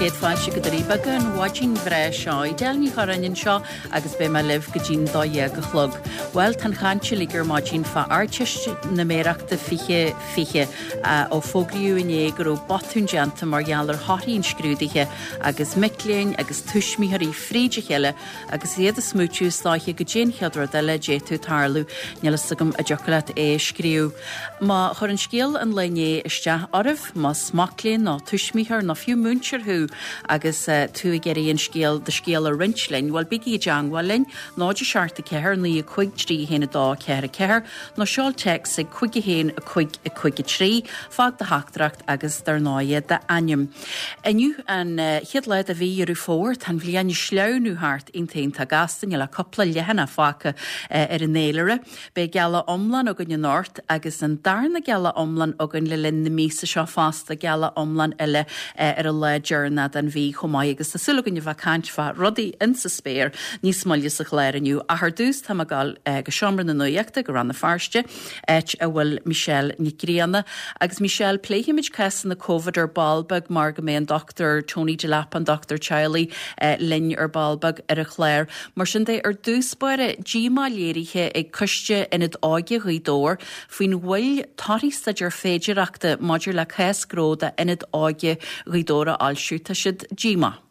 Céad fáilte go Doirí Beaga an mhaidin bhreá seo. Edel Ní Churráin anseo agus beidh mé libh go dtí'n 12 a chlog. Bhuel, tá an chaint uilig ar maidin fá Ardteistiméireachta 2020 ó fógraíodh inné go raibh botún déanta mar gheall ar thorthaí an scrúdaithe agus mic léinn agus tuismitheoirí fríd a chéile agus iad ag smaoitiú is dóiche goidé an chéad rud eile a d'fhéadfadh tarlú, níl fhios agam an dtiocfadh leat é a scríobh. Má chuir an scéal an lae inné isteach oraibh, más mac léinn nó tuismitheoir nó fiú múinteoir thú agus tú ag iarraidh an scéal, do scéal a roinnt linn, bhuel bígí i dteangmháil linn, 0 7 4 9 5 3 1 2 4 4 nó seol téacs ag 5 1 5 5 3, fág do theachtaireacht agus dar ndóighe d'ainm. Inniu an chéad lá de mhí Dheireadh Fómhair. Tá an bhliain ag sleamhnú thart iontach iontach gasta. Níl ach cúpla leathanach fágtha ar an fhéilire. Beidh gealach iomlán againn anocht agus an darna gealach iomlán againn le linn na míosa seo fosta, gealach iomlán eile ar an lá deireanach den mhí chomh maith agus tá súil againn a bheith ag caint fá rudaí insa spéir níos moille sa chlár inniu. Ach ar dtús tá mé ag dul go Seomra na Nuachta go Rann na Feirste. áit a bhfuil Michelle Nic Grianna. Agus Michelle, pléifimid cásanna Covid ar ball beag mar go mbeidh an Dr Tony Delap, an dochtúir teaghlaigh, linn ar ball beag ar an chlár. Mar sin de, ar dtús báire, díomá léirithe ag Coiste Ionad Óige Ghaoth Dobhair faoin mhoill torthaí staidéar féidearthachta maidir le cás gnó d'Ionad Óige Ghaoth Dobhair a fhoilsiú. Tá siad díomách.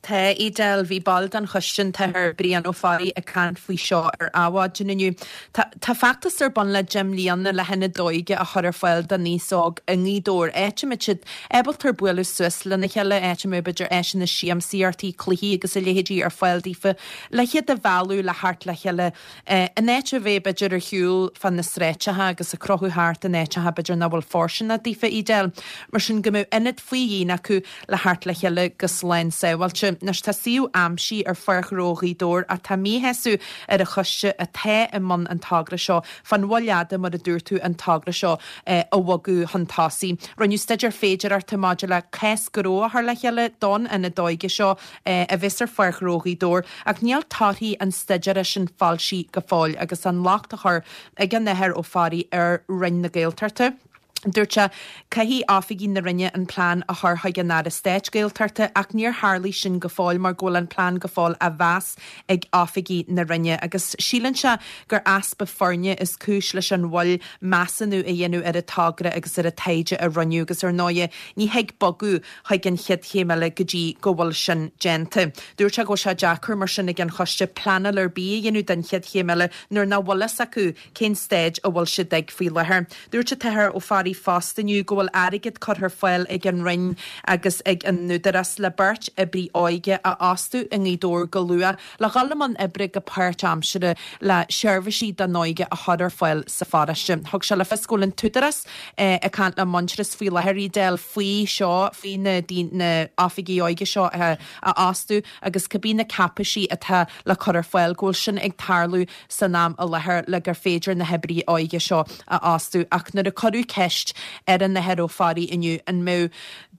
Tá, Edel. Bhí ball den choiste, an tAthair Brian Ó Fearraigh, ag caint faoi seo ar Adhmhaidin inniu. Tá tá feachtas ar bun le deich mbliana le hionad óige a chur ar fáil don aos óg i nGaoth Dobhair, áit a mbeidh siad ábalta bualadh suas lena chéile, áit a mbeidh b'fhéidir áiseanna siamsaíochta, cluichí agus a leithéidí ar fáil daofa le hiad a mhealladh le theacht le chéile in áit a bheith b'fhéidir ar shiúl fá na sráideacha agus ag crochadh thart in áiteacha b'fhéidir nach bhfuil fóirsteanach daofa, Edel. Mar sin go mbeadh ionad faoi dhíon acu le theacht le chéile go slán sábháilte. Anois tá suíomh aimsithe ar Pháirc Ghnó Ghaoth Dobhair ach tá míshásamh ar an choiste atá i mbun an togra seo fán mhoill fhada mar a dúirt tú an togra seo a bhogadh chun tosaigh. Rinneadh staidéar féidearthachta maidir le cás gnó a chur le chéile don ionad óige seo a bheas ar Pháirc Ghnó Ghaoth Dobhair ach níl torthaí an staidéara sin foilsithe go fóill agus an locht á chur ag an Athair Ó Fearraigh ar Roinn na Gaeltachta. Dúirt sé, Caithfidh oifigigh na Roinne an plean a chur chuig an Aire Stáit Gaeltachta ach níor tharlaigh sin go fóill mar go bhfuil an plean go fóill á mheas ag oifigigh na Roinne agus síleann sé gur easpa foirne is cúis leis an mhoill measúnú a dhéanamh ar an togra agus ar an taighde a rinneadh agus ar ndóighe ní thig bogadh chuig an chéad chéim eile go dtí go bhfuil sin déanta. Dúirt sé go bhfuil sé deacair mar sin ag an choiste pleanáil ar bith a dhéanamh don chéad chéim eile nuair nach bhfuil fhios acu cén staid a bhfuil siad ag faoi láthair. Dúirt an tAthair Ó Fearraigh fosta inniu go bhfuil airgead curtha ar fáil ag an Roinn agus ag an Údarás le beirt oibrí óige a fhostú i nGaoth Dobhair go luath le dhul i mbun oibre go páirtaimseartha le seirbhísí don óige a chur ar fáil sa pharóiste. Thug sé le fios go bhfuil an tÚdarás ag caint le Muintearas faoi láthair, Edel, faoi seo, faoi na na oifigigh óige seo a fhostú agus cibé na cáipéisí atá le cur ar fáil, go bhfuil sin ag tarlú san am i láthair le gur féidir na hoibrithe óige seo a fhostú. Ach nuair a cuireadh ceist ar an Athair Ó Fearraigh inniu an mbeadh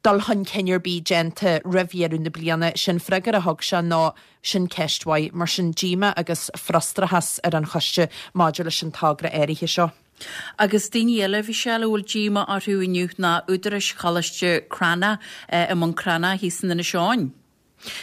dul chun cinn ar bith déanta roimh dheireadh na bliana, sé'n freagra a thug sé ná sin ceist mhaith. Mar sin díomá agus frustrachas ar an choiste maidir leis an togra áirithe seo. Agus daoine eile, a Mhichelle, a bhfuil díomá orthu inniu ná údaráis Choláiste Cranncha i mBun Cranncha thíos in Inis Eoghain.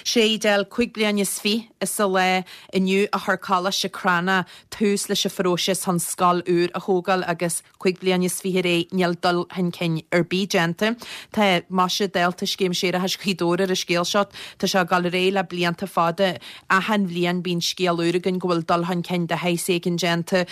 Sé Edel, 25 bliain is a lá inniu a chuir Coláiste Cranncha tús leis an phróiseas chun scoil úr a thógáil agus 25 bliain ar aghaidh níl dul chun cinn ar bith déanta. Tá maise dálta Scéim Séarachais Ghaoth Dobhair ar an scéal seo. Tá sé ag dul ar aghaidh le blianta fada. Achan bhliain bíonn scéal úr againn go bhfuil dul chun cinn de shaghas éigin déanta,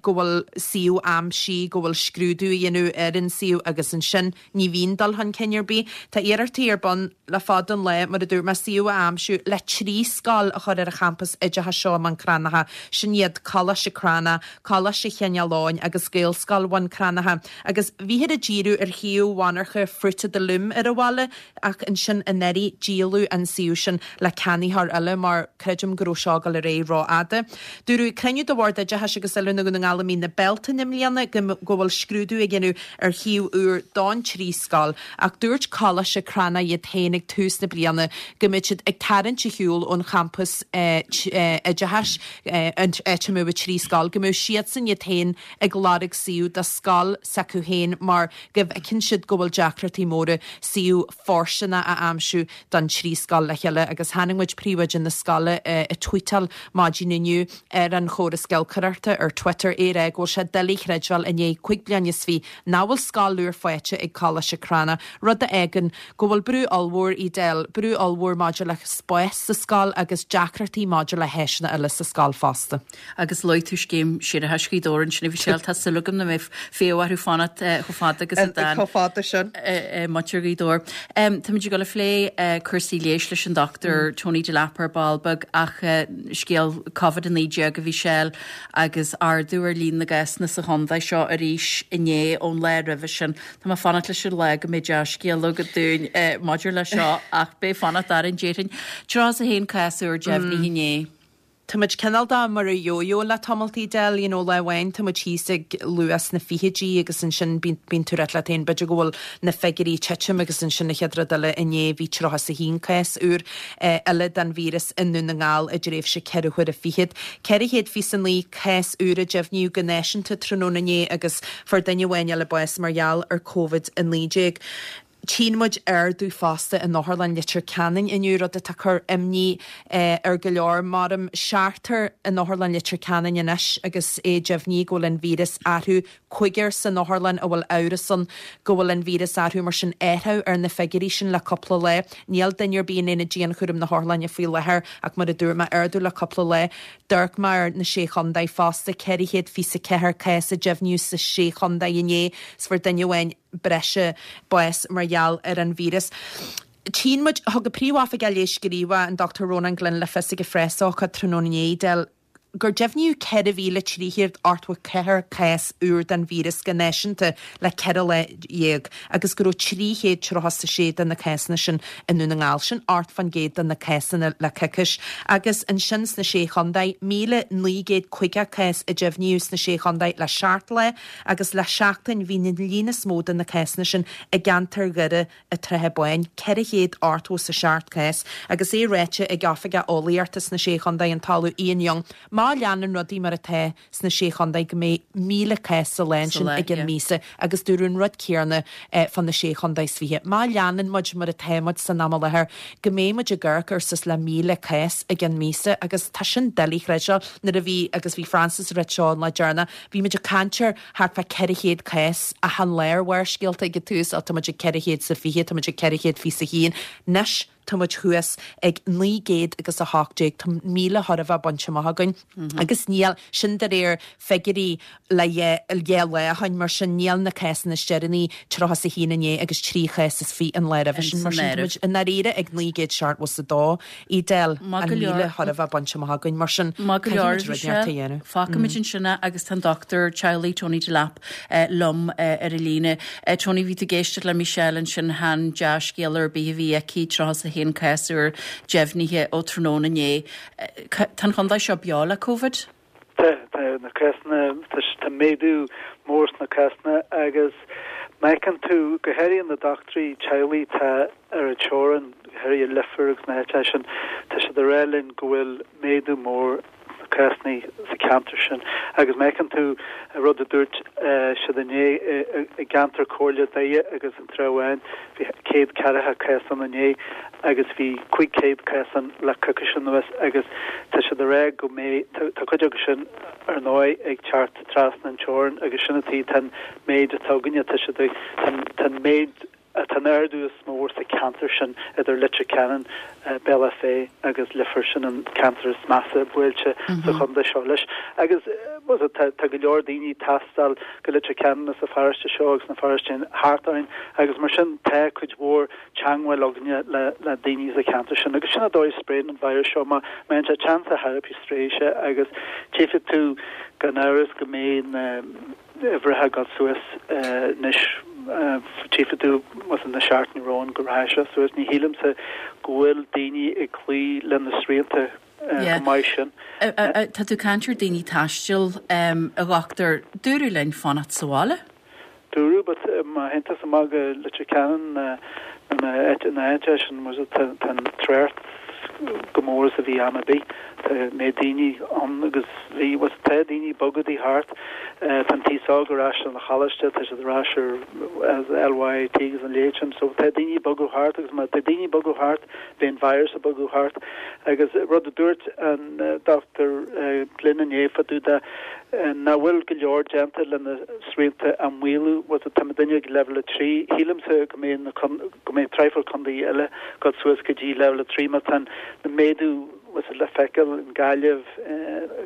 go bhfuil suíomh aimsithe, go bhfuil scrúdú á dhéanamh ar an suíomh agus ansin Ní bhíonn dul chun cinn ar bith. Tá iarrachtaí ar bun le fada an lá, mar a dúirt mé, suíomh a aimsiú le 3 scoil a chur ar an champas oideachais seo i mBun Cranncha. Sin iad Coláiste Cranncha, Coláiste Chineál Eoghain agus Gaelscoil Bhun Cranncha. Agus bhíthear ag díriú ar shuíomh mhonarcha Fruit of the Loom ar an bhaile ach ansin anuraidh díoladh an suíomh sin le ceannaitheoir eile mar creidim go raibh seo ag dul ar aghaidh rófhada. Dúradh ag cruinniú de Bhord Oideachais agus Oiliúna Dhún na nGall i mí na Bealtaine i mbliana go bhfuil scrúdú á dhéanamh ar shuíomh úr don trí scoil ach dúirt Coláiste Cranncha iad féin ag tús na bliana go mbeadh siad ag tarraingt ar shiúl ón champas oideachais, an áit a mbeadh an 3 scoil, go mbeadh siadsan iad féin ag lorg suíomh do scoil s'acu féin mar go bhfeiceann siad go bhfuil deacrachtaí móra suíomh fóirsteanach a aimsiú don 3 scoil le chéile agus chonaic muid príomhoide na scoile ag tweetáil maidin inniu ar an chóras giolcaireachta ar Twitter é ag rá go bhfuil sé doiligh a chreidbheáil i ndiaidh 25 bliain nach bhfuil scoil úr faighte ag Coláiste Crana, rud a fhágann go bhfuil brú ollmhór, Edel, brú ollmhór maidir le spás sa scoil agus deacrachtaí maidir le háiseanna eile sa scoil fosta. Agus luaigh tú scéim séarachais Ghaoth Dobhair ansin a Mhichelle, tá súil agam nach mbeidh fiach orthu fanacht chomh fada agus a d'fhan Chomh fada sin. muintir Ghaoth Dobhair. Táimid ag dul a phlé cúrsaí leighis leis an Dr Tony Delap ar ball beag ach scéal Covid-19 a Mhichelle agus ardú ar líon na gcásanna sa chontae seo arís inné ón lá roimhe sin. Tá mé ag fanacht leis an lá go mbeidh dea-scéal agat dúinn maidir leis seo ach beidh fanacht orainn déarfainn. 31 cás úr deimhnithe inné. Tá muid cineál de mar an yo-yo le tamalt Edel, you know, lá amháin tá muid thíos ag luas sna fichidí agus ansin bíonn tú ag rá leat féin b'fhéidir go bhfuil na figiúirí ag titim agus ansin an chéad rud eile inné bhí 31 cás úr eile den víreas i nDún na nGall i dtréimhse ceithre huaire fichead. 429 cás úr a deimhníodh go náisiúnta tráthnóna inné agus fuair duine amháin eile bás mar gheall ar Covid-19. Tchíonn muid ardú fosta in Otharlann Leitir Ceanainn inniu, rud atá ag cur imní ar go leor. Mairim seachtar in Otharlann Leitir Ceanainn anois agus é deimhnithe go bhfuil an víreas orthu, cúigear san otharlann a bhfuil amhras ann go bhfuil an víreas orthu, mar sin athrú ar na figiúirí sin le cúpla lá. Níl duine ar bith in aonad dianchúraim na hotharlainne faoi láthair ach mar a dúirt mé, ardú le cúpla lá. D'amharc mé ar na Sé Chontae fosta, 424 cás a deimhníodh sa Sé Chontae inné 's fuair duine amháin breise bás mar gheall ar an víreas. Tchíonn muid, thug an Príomh-Oifigeach Leighis Gníomhach, an Dr Rónán Glynn le fios ag an phreasócáid tráthnóna inné, Edel, gur deimhníodh 4,384 cás úr den víreas go náisiúnta le 14 lá agus go raibh 336 de na cásanna sin i nDún na nGall, sin 8% de na cásanna le coicís. Agus ansin sna Sé Chontae, 1,950 cás a deimhníodh sna Sé Chontae le seacht lá agus le seachtain bhí an líon is mó de na cásanna sin i gceantar Dhoire an tSratha Báin, 487 cás, agus é ráite ag Oifigeach Eolaíochta sna Sé Chontae, an tOllamh Ian Young, má leanann rudaí mar atá sna Sé Chontae go mbeidh 1,000 cás sa lá ansin i gceann míosa agus dúradh an rud céanna fá na Sé Chontae is fiche. Má leanann muid mar atá muid san am i láthair go mbeidh muid ag amharc ar suas le 1,000 cás i gceann míosa agus tá sin doiligh a chreidbheáil. Nuair a bhí, agus bhí Francis ag rá seo an lá deireanach, Bhí muid ag caint ar thart fá 400 cás achan lá ar Bharrscéalta ag an tús, á tá muid ag 420, tá muid ag 421, anois tá muid thuas ag 900 agus 18, tá 1,000 chóir a bheith bainte amach againn agus níl, sin de réir figiúirí le dhá lá ó shin, mar sin níl na cásanna is deireanaí, 31 inné agus 3 chás is 20 an lá roimhe sin, mar sin tá muid i ndáiríre ag 972. Edel, an 1,000 chóir a bheith bainte amach againn, mar sin caithfidh muid rud inteacht a dhéanamh. Fágfaimid ansin é agus tá an Dochtúir teaghlaigh Tony Delap liom ar an líne. Tony, bhí tú ag éisteacht le Michelle ansin, chan dea-scéal ar bith a bhí aici, 31 cás úr deimhnithe ó tráthnóna inné. Tá an chontae seo beo le Covid? Tá, tá na cásanna, tá méadú mór sna cásanna agus má fheiceann tú, go háirithe na dochtúirí teaghlaigh atá ar an teorainn, go háirithe i Leifear agus na háiteacha sin, tá siad ag rá linn go bhfuil méadú mór sna cásanna sa cheantar sin. Agus má fheiceann tú an rud a dúirt siad inné i gceantar Comhairle Doire agus an Trá Bháin, bhí 140 cás ann inné agus bhí 500 cás ann le coicís anuas agus tá siad ag rá go mbeidh, tá cuid acu sin ar ndóigh ag teacht trasna an teorainn agus sin an tuige tá an méid atá againne, tá siad ag, tá an méid, tá an ardú is mó sa cheantar sin idir Leitir Ceanainn, Bealach Féich agus Leifear, sin an ceantar is measa buailte sa chontae seo leis. Agus tá go leor daoine ag taisteal go Leitir Ceanainn as an pharóiste seo agus na paróistí thart orainn agus mar sin tá cuid mhór teangmháil againne le daoine sa cheantar sin. Agus sin an dóigh a spréann an virus seo, má mbíonn sé teann sa therapy spréifidh sé agus tchífidh tú gan amhras go mbeidh na uimhreacha ag dul suas anois. Tchífidh tú na seachtainí romhainn go rachaidh sé suas. Ní shílimse go bhfuil daoine ag cloí le na srianta chomh maith sin. Tá tú ag caint ar daoine ag taisteal, a dhochtúir. Dúradh linn fanacht sa bhaile. dúradh but má théann tusa amach go Leitir Ceanainn nó na áiteacha sin tá an trácht chomh mór is a bhí am ar bith. Tá méid daoine ann agus bhí bhuel tá daoine ag bogadh thart. Tá an t-aos óg ar ais ar an choláiste, tá siad ar ais ar LYIT agus a leithéid sin. So tá daoine ag bogadh thart agus má tá daoine ag bogadh thart beidh an virus ag bogadh thart. Agus rud a dúirt an Dr Glynn inné fá dtaobh de nach bhfuil go leor déanta le na srianta a mhaolú, bhuel tá muidinne ag leibhéal 3, shílimse go mbeidh na go mbeidh traidhfil contae eile ag dul suas go dtí leibhéal 3 mar tá an méadú bhfuil le feiceáil in Gaillimh,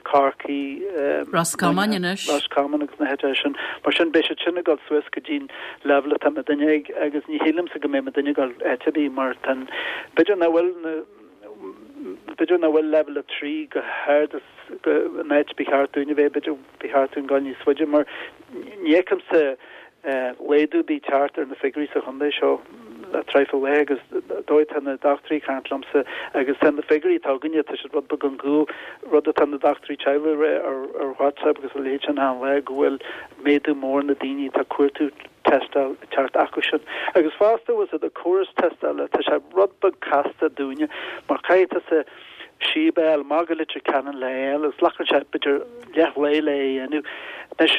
Corcaigh, Ros Comáin anois. Ros Comáin agus na háiteacha sin. Mar sin beidh siad sin ag dul suas go dtí'n leibhéal atá muidinne ag agus ní shílimse go mbeidh muidinne ag dul áit ar bith mar tá an, b'fhéidir nach bhfuil na, b'fhéidir nach bhfuil leibhéal 3 chomh hard is go, an áit ba cheart dúinn a bheith, b'fhéidir ba cheart dúinn dul níos faide mar ní fheicimse laghdú ar bith ag teacht ar na figiúirí sa chontae seo le traidhfil laetha agus dóigh atá na dochtúirí ag caint liomsa agus tá na figiúirí atá againne, tá siad rud beag ón gcúl, rud atá na dochtúirí teaghlaigh ag rá ar ar WhatsApp agus a leithéid sin achan lá go bhfuil méadú mór na daoine atá ag cuartú tástáil ag teacht acu sin. Agus fosta bhfuil fhios agat an córas tástála, tá sé rud beag casta dúinne mar caithfidh tusa síob a fháil amach go Leitir Ceanainn le é a fháil agus glacann sé b'fhéidir leath lae le é a dhéanamh. Anois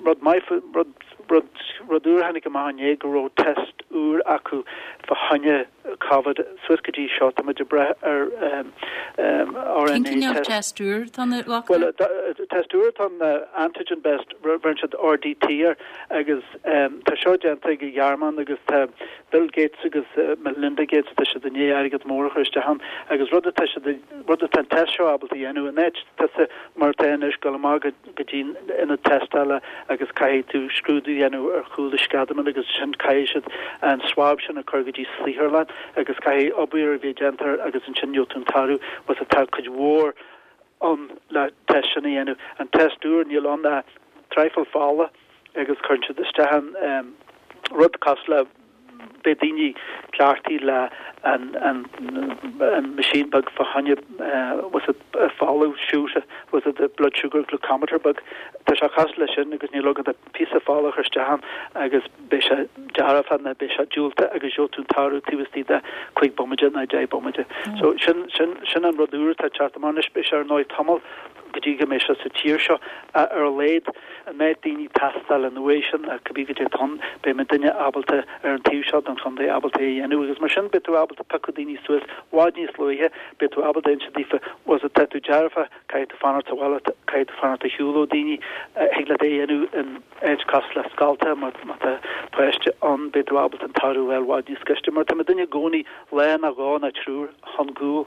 rud maith rud rud rud úr a tháinig amach inné go raibh test úr acu fá choinne Covid suas go dtí seo tá muid ag brath ar RNA Cén cineál test. test úr atá ann a dhochtúir? Bhuel test úr atá ann antigen based bheireann siad RDT air agus tá seo déanta ag an Ghearmáin agus tá Bill Gates agus Melinda Gates, tá siad i ndiaidh airgead mór a chur isteach ann agus rud atá siad, rud atá an test seo ábalta a dhéanamh, in áit tusa mar atá anois dul amach go dtí an ionad tástála agus caithfidh tú scrúdú a dhéanamh ar chúl do sceadamán agus ansin caithfidh siad an swab sin a chur go dtí saotharlann agus caithfidh obair a bheith déanta air agus ansin gheobhaidh tú an toradh bhuel tá cuid mhór ann le test sin a dhéanamh. An test úr, níl ann ach traidhfil fola agus cuireann siad isteach an rud cosúil le beidh daoine cleachtaithe le an an an machine beag fá choinne bhfuil fhios agat fola siúcra bhfuil fhios agat blood sugar glucometer beag. Tá sé cosúil leis sin agus níl agat ach píosa fola a chur isteach ann agus beidh sé dearfach nó beidh sé diúltach agus gheobhaidh tú an toradh taobh istigh de chúig bomaite nó deich bomaite. So sin sin sin an rud úr atá ag teacht amach anois. Beidh sé ar ndóigh tamall go dtí go mbeidh sé sa tír seo ach ar a laghad an méid daoine tástáil an uaidh sin ach cibé goidé atá ann beidh muidinne ábalta ar an taobh seo den chontae ábalta é a dhéanamh agus mar sin beidh tú ábalta piocadh daoine suas bhfad níos luaithe beidh tú ábalta inse daofa bhfuil fhios agat tá tú dearfach caithfidh tú fanacht sa bhaile caithfidh tú fanacht ar shiúl ó daoine thig leat é a dhéanamh in áit cosúil le scolta má tá páiste ann beidh tú ábalta an toradh a fháil bhfad níos gaiste mar tá muidinne i gcónaí lá nó dhó nó triúr chun gcúl.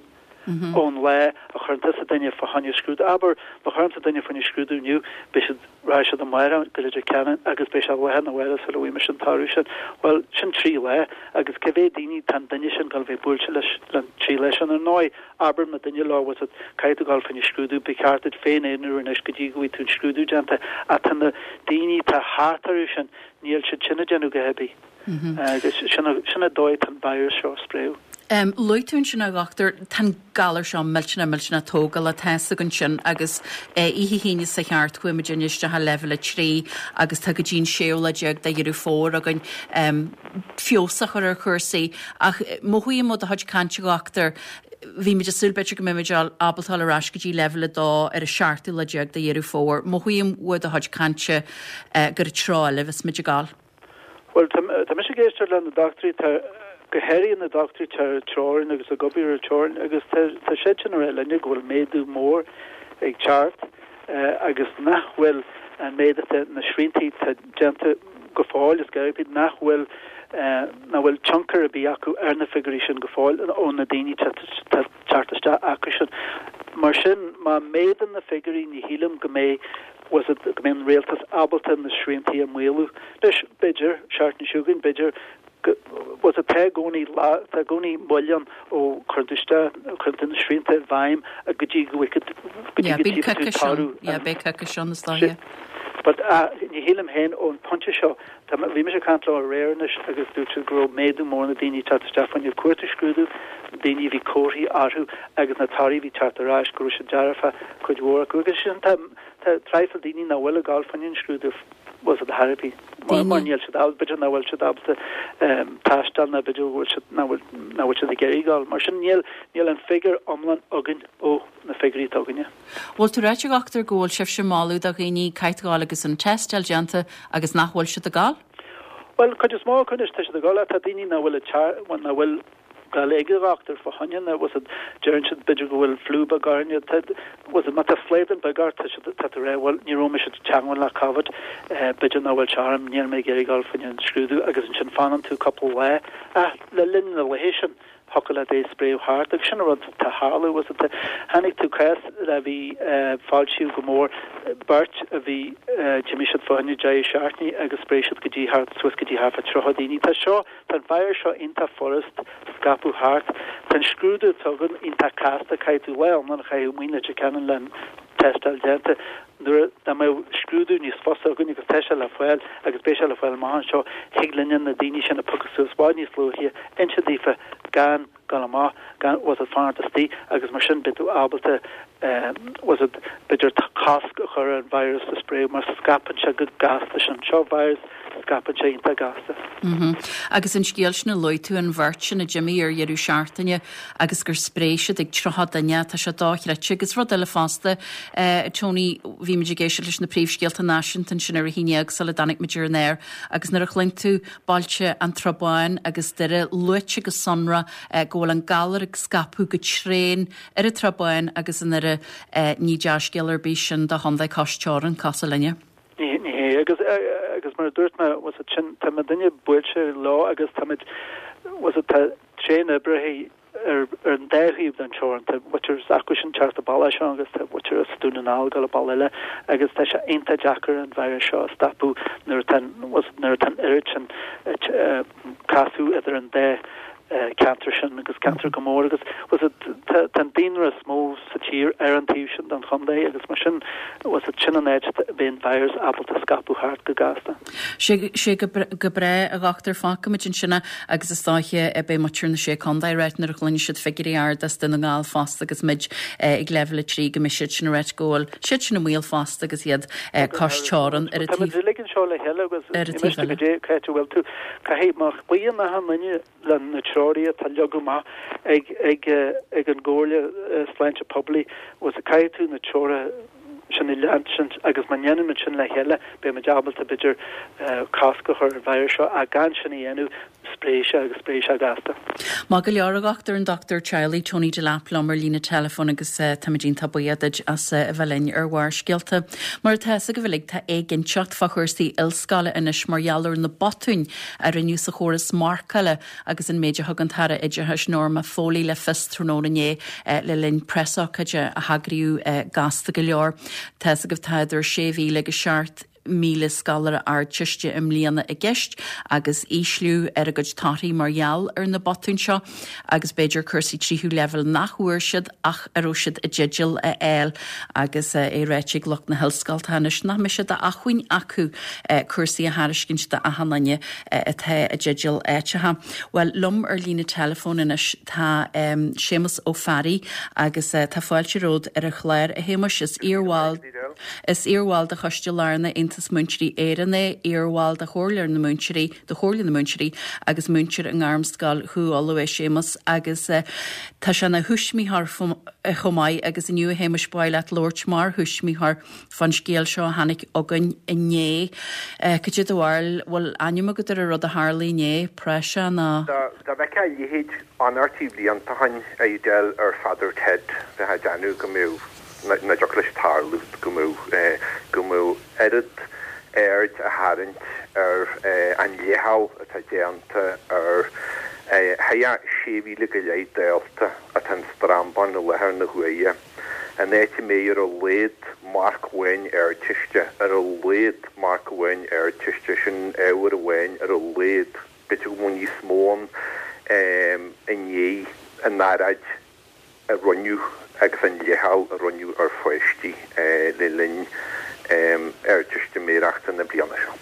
ón lá a chuireann tusa duine fá choinne scrúdú. Abair, má chuirimse duine fá choinne scrúdú inniu, beidh siad, rachaidh siad amárach go Leitir Ceanainn agus beidh sé lá arna mhárach sula bhfaighidh mise an toradh sin. Bhuel, sin trí lá agus cé mhéad daoine tá an duine sin ag dul a bheith buailte leis an trí lá sin? Ar ndóigh, abraíonn muidinne leo, bhfuil fhios agat, caithfidh tú dul fá choinne scrúdú, ba cheart duit féin aonrú anois go dtí go bhfaighidh tú an scrúdú déanta. Ach tá na daoine atá thart orthu sin, níl siad sin ag déanamh a dhath ar bith. Agus sin an dóigh atá an virus seo ag spréadh. Luaigh tú ansin a dhochtúir, tá an galar seo millteanach millteanach tógálach, tá fhios againn sin agus oíche hAoine seo thart chuaigh muid isteach i leibhéal 3 agus tá go dtí an séú lá déag de Dheireadh Fómhair againn feabhas a chur ar chúrsaí. Ach mothaím ó do chuid cainte a dhochtúir, bhí muid ag súil b'fhéidir go mbeidh muid ábalta dul ar ais go dtí leibhéal 2 ar an seachtú lá déag de Dheireadh Fómhair. Mothaím uaidh do chuid cainte gur i dtreo eile a bheas muid ag dul. Bhuel, tá mise ag éisteacht le na dochtúirí, tá, go háirithe na dochtúirí atá ar an teorainn agus ag obair ar an teorainn agus tá, tá siad sin ag rá linne go bhfuil méadú mór ag teacht agus nach bhfuil an méid atá, na sriantaí atá déanta go fóill, is gearr, nach bhfuil, nach bhfuil tionchar ar bith acu ar na figiúirí sin go fóill ó na daoine atá ag teacht isteach acu sin. Mar sin, má méadaíonn na figiúirí ní shílim go mbeidh bhfuil fhios agat, go mbeidh an rialtas ábalta na sriantaí a maolú. Anois, b'fhéidir, seachtain seo chugainn, b'fhéidir go, bhfuil fhios agat, tá i gcónaí lá, tá i gcónaí moill ann ó cuireann tú isteach, cuireann tú na srianta i bhfeidhm go dtí go bhfaighidh, go dtí go dtí tú toradh. Yeah, beidh coicís ann, is dóiche. But, ah, ní shílim féin ón pointe seo, tá, bhí mise ag caint leo aréir anois agus dúirt siad go raibh méadú mór na daoine ag teacht isteach fá choinne cuartú scrúdú. daoine a bhí comharthaí orthu agus na torthaí a bhí teacht ar ais go raibh siad dearfa, cuid mhór acu. Agus sin tá tá traidhfil daoine nach bhfuil ag gabháil fá choinne an scrúdú bhfuil a fhios agat ar chor ar bith mar mar níl siad ábalta, b'fhéidir nach bhfuil siad ábalta taisteal nó b'fhéidir go bhfuil siad nach bhfuil nach bhfuil siad ag iarraidh gabháil. Mar sin níl níl an figiúr iomlán againn ó na figiúirí atá againne. Bhfuil tú ag ráit a dhochtúir go bhfuil sibhse ag moladh do dhaoine caithfidh gabháil agus an tástáil déanta agus nach bhfuil siad ag gabháil? Bhuel, cuid is mó acu anois tá siad ag gabháil ach tá daoine nach bhfuil ag teacht, bhuel nach bhfuil gabháil ag an dhochtúir fá choinne na, bhfuil a fhios agat, deireann siad b'fhéidir go bhfuil fliú beag orainn, tá, bhfuil a fhios agat, má tá slaghdán beag ort tá siad, tá tú ag rá bhuel ní raibh mise i dteangmháil le Covid, b'fhéidir nach bhfuil sé orm, níl mé ag iarraidh gabháil fá choinne an scrúdú agus ansin fanann tú cúpla lá ach le linn na laethe sin, thiocfadh leat é a spréadh thart agus sin an rud atá ag tarlú bhfuil a fhios agat. Chonaic tú cás a bhí foilsíodh go mór beirt a bhí d'imigh siad fá choinne deireadh seachtaine agus spréigh siad go dtí thart suas go dtí thart fá 30 daoine. Tá seo tá an virus seo iontach furast scaipeadh thart. Tá an scrúdú atá againn iontach casta caithfidh tú lá iomlán a chaitheamh amuigh i Leitir Ceanainn le an tástáil déanta. Nuair dá mbeadh scrúdú níos fusa againn agus tá sé le fáil agus beidh sé le fáil amach anseo, thig linne na daoine sin a phiocadh suas i bhfad níos luaithe, inse daofa gan dul amach, gan, bhfuil a fhios agat, fanacht istigh agus mar sin beidh tú ábalta, bhfuil a fhios agat, b'fhéidir cosc a chur ar an virus a spréadh mar scaipeann sé go gasta sin. Seo virus scaipeann sé iontach gasta. Agus an scéal sin a luaigh tú, an bheirt sin a d'imigh ar dheireadh seachtaine agus gur spréigh siad ag 30 duine, tá sé dochreidte. Agus rud eile fosta, Tony, bhí muid ag éisteacht leis na príomhscéalta náisiúnta ansin ar a haon dhéag sula dtáinig muid ar an aer agus nuair a chluin tú bailte an tSrath Báin agus Doire luaite go sonrath go bhfuil an galar ag scaipeadh go tréan ar an tSrath Báin agus i nDoire, ní dea-scéal ar bith sin do chontae cois teorann, cosúil linne. Ní hé, agus agus mar a dúirt mé, bhfuil a fhios agat, sin, tá muidinne buailte leo agus táimid, bhfuil a fhios agat, tá tréan-oibrithe ar ar an dá thaobh den teorainn, tá muintir s'acu sin teacht an bealach seo agus tá muintir as Dún na nGall ag dul an bealach eile agus tá sé iontach deacair an virus seo a stopadh nuair atá an, bhfuil a fhios agat, nuair atá an oiread sin casadh idir an dá ceantar sin agus ceantar go mór agus bhfuil a fhios agat tá an daonra is mó sa tír ar an taobh sin den chontae agus mar sin bhfuil a fhios agat sin an áit a bhíonn virus ábalta scaipeadh thart go gasta. Sé sé go go breá a dhochtúir fágfaimid ansin é agus is dóiche beidh muintir na Sé Contae ag ráit nuair a chluinfidh siad figiúirí arda as Dún na nGall fosta agus muid ag leibhéal 3 go mbeidh siad sin ag ráit go bhfuil siad sin i mbaol fosta agus iad cois teorann ar an taobh Táimid uilig anseo le chéile agus ar an taobh eile. Goidé cá háit a bhfuil tú Caithfidh má chloíonn achan duine le na treoirí atá leagtha amach ag ag ag an gComhairle Sláinte Poiblí, bhfuil a fhios agat, caithfidh tú na treoracha sin a leanstan agus má ndéanann muid sin le chéile beidh muid ábalta b'fhéidir cosc a chur ar an virus seo ach gan sin a dhéanamh spréifidh sé agus spréifidh sé gasta. Maith go leor a dhochtúir, an Dochtúir Teaghlaigh Tony Delap liom ar líne teileafóin agus táimid iontach buíoch duit as a bheith linn ar Bharrscéalta. Mar atá fhios agaibh uilig tá éiginnteacht fá chúrsaí ollscoile anois mar gheall ar na botúin a rinneadh sa chóras marcála agus an méid a thug an tAire Oideachais Norma Foley le fios tráthnóna inné le linn preasócáide a heagraíodh gasta go leor. Tá fhios agaibh tá idir 6,000 agus 7,000 scoláire Ardteiste i mbliana i gceist agus ísliú ar a gcuid torthaí mar gheall ar na botúin seo agus b'fhéidir cúrsaí tríú leibhéal nach bhfuair siad ach a raibh siad i dteideal a fháil agus é ráite ag lucht na hollscoile anois nach mbeidh sé d'acmhainn acu cúrsaí a thairiscint d'achan duine atá i dteideal áiteacha. Bhuel, liom ar líne teileafóin anois tá Séamus Ó Fearraigh agus tá fáilte romhat ar an chlár, a Shéamuis. Is iarbhall. Is iarbhall de Choiste Lárnach Aontas Múinteoirí Éireann é, iarbhall de Chomhairle na Múinteoirí, de Chomhairle na Múinteoirí agus múinteoir i nGairmscoil Chú Uladh é Séamus agus tá sé ina thuismitheoir chomh maith agus inniu a Shéamuis ba mhaith leat labhairt mar thuismitheoir fán scéal seo a tháinig chugainn inné. Cad é do bharúil, bhfuil ainm agat ar an rud a tharla inné, praiseach nó? Dá bhfeicfeá a leithéid anairtí blianta ó shin, a Edel, ar Pheadar Ted, bheifeá ag déanamh go mbeadh. nach dtiocfadh leis tarlú go mbeadh go mbeadh oiread aird á tharraingt ar an leithcheal atá déanta ar thart 6,000 go leith dalta atá in Strambán i láthair na huaire, an áit a mbeidh ar a laghad marc amháin Ardteiste, ar a laghad marc amháin Ardteiste, sin ábhar amháin ar a laghad, b'fhéidir go mbeadh níos mó ann i ndiaidh an earráid. a rinneadh agus an leithcheal a rinneadh ar pháistí le linn Ardteistiméireachta na bliana seo.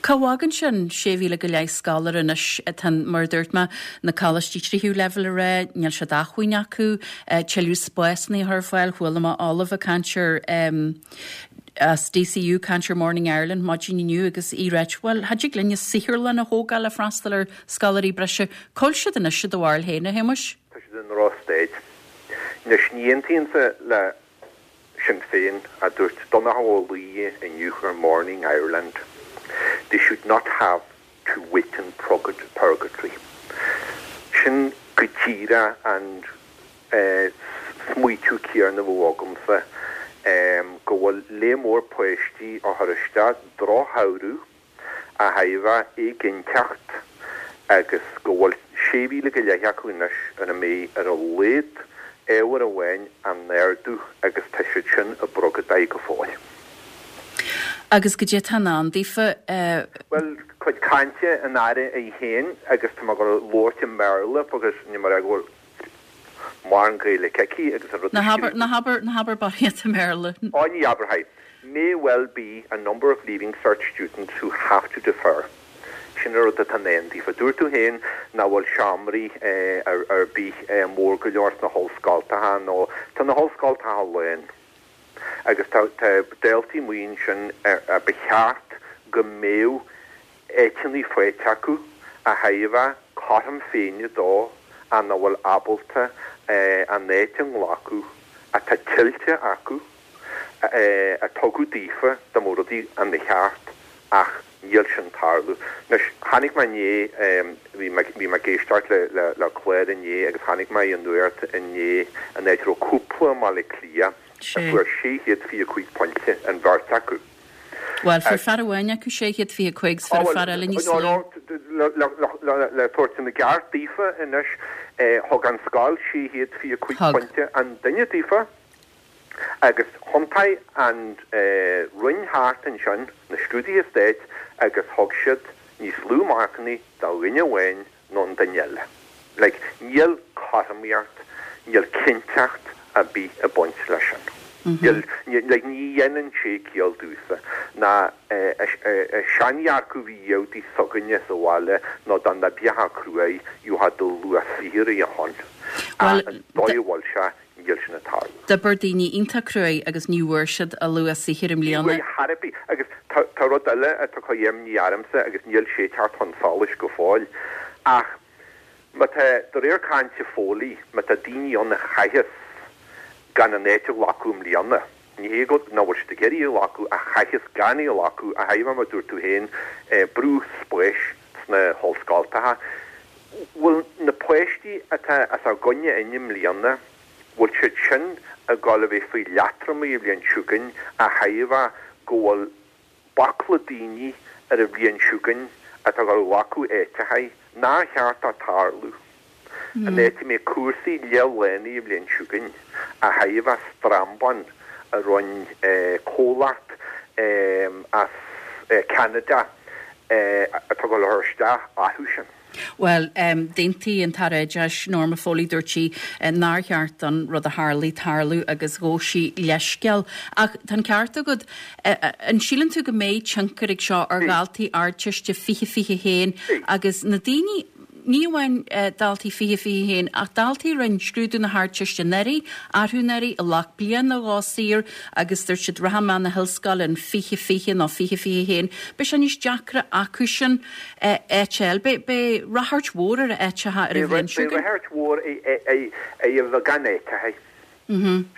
Cá bhfágann sin 6,000 go leith scoláire anois? Tá, mar a dúirt mé, na coláistí tríú leibhéal ag rá níl sé d'acmhainn acu tuilleadh spásanna a chur ar fáil. Chuala mé ollamh ag caint ar as DCU ag caint ar Morning Ireland maidin inniu agus í ag ráit, bhuel, cha dtig linne saotharlann a thógáil le freastal ar scoláirí breise. Cá bhfuil siad anois i do bharúil féin, a Shéamuis? Tá siad i ndrochstaid. Anois, ní aontaímse le Sinn Féin, a dúirt Donnchadh Ó Laoire inniu ar Morning Ireland, They should not have to wait in purgatory. Sin go díreach an smaoitiú céarna a bheadh agamsa, go bhfuil lear mór páistí á chur isteach drochshamhradh a thaobhadh éiginnteacht agus go bhfuil 6,000 go leith acu anois ar a mbeidh ar a laghad ábhar amháin á n-ardú agus tá siad sin i bpurgadóir go fóill. Agus goidé atá i ndán daofa? Bhuel, cuid cainte an Aire í féin agus tá mé ag dul a labhairt i mBéarla because níl mé ag rá go bhfuil mórán Gaeilge aici agus an rud a scríobh. Ná habair, ná habair barraíocht i mBéarla. Ó ní abarfaidh. May well be a number of Leaving Cert students who have to defer. Sin an rud atá i ndán daofa. Dúirt tú féin nach bhfuil seomraí ar bith mór go leor sna hollscoltacha nó tá na hollscoltacha lán agus tá daltaí amuigh ansin a ba cheart go mbeadh áiteanna faighte acu a thabharfadh cothrom Féinne dó ach nach bhfuil ábalta an áit a nglacadh atá tuillte acu, a tugadh daofa dá mbeadh rudaí ina cheart ach níl sin tarlú. Anois, tháinig mé inné, bhí mé, bhí mé ag éisteacht le, le clár inné agus tháinig mé ar an nuacht inné an áit a raibh cúpla i mBaile Átha Cliath a fuair 625 pointe an bheirt acu. Bhuel, fuair fear amháin acu 625 's fuair an fear eile níos lú. Le tabhairt ina gceart daofa anois, thug an scoil 625 pointe an duine daofa agus thiontaigh an Roinn thart ansin, na scrúduithe stáit, agus thug siad níos lú marcannaí do dhuine amháin ná an duine eile. Like, níl cothromaíocht, níl cinnteacht ar bith ag baint leis sin. Níl, like, ní dhéanann sé ciall domhsa. Ná seandhearcadh a bhí iadh s'againne sa bhaile ná dá n-oibreochthá cruaidh, gheofá do luach saothair a shon. Ach an dóigh a bhfuil sé, níl sin ag tarlú. D'oibir daoine iontach cruaidh agus ní bhfuair siad a luach saothair i mbliana. Ní bhfuair chor ar bith. Agus tá rud eile atá ag cur imní ormsa agus níl sé ag teacht chun solais go fóill ach má tá, de réir cainte Foley, má tá daoine ann a chaitheas gan an áit a ghlacadh i mbliana, ní hé go nach bhfuil siad ag iarraidh í a ghlacadh ach chaitheas gan í a ghlacadh, a thaobh mar a dúirt tú féin, brú spáis sna hollscoltacha. Bhfuil na páistí atá os ár gcoinne inniu i mbliana, bhfuil siad sin ag dul a bheith faoi leatromaí an bhliain seo chugainn a thaobh go bhfuil baicle daoine ar an bhliain seo chugainn atá ag dul a ghlacadh áiteachaí nár cheart dó tarlú, an áit a mbeidh cúrsaí leath-lánaithe an bhliain seo chugainn a thaobh strambán a rinne comhlacht as Ceanada atá ag dul a chur isteach orthu sin. Bhuel, d'aontaigh an tAire Oideachais, Norma Foley, dúirt sí nár cheart don rud a tharlaigh tarlú agus ghabh sí leithscéal. Ach tá an ceart agat. An síleann tú go mbeidh tionchar ag seo ar dhaltaí Ardteiste 2021 agus na daoine, ní amháin daltaí 2021 ach daltaí a rinne scrúdú na hArdteiste anuraidh, arú anuraidh, a ghlac bliain nó dhó saor agus dúirt siad rachaidh mé na hollscoile in 2020 nó 2021, beidh sé níos deacra acu sin áit a fháil. Beidh ráchairt mhór ar áiteacha ar an bhliain seo chugainn. Beidh ráchairt mhór ar a bheith gan áiteacha.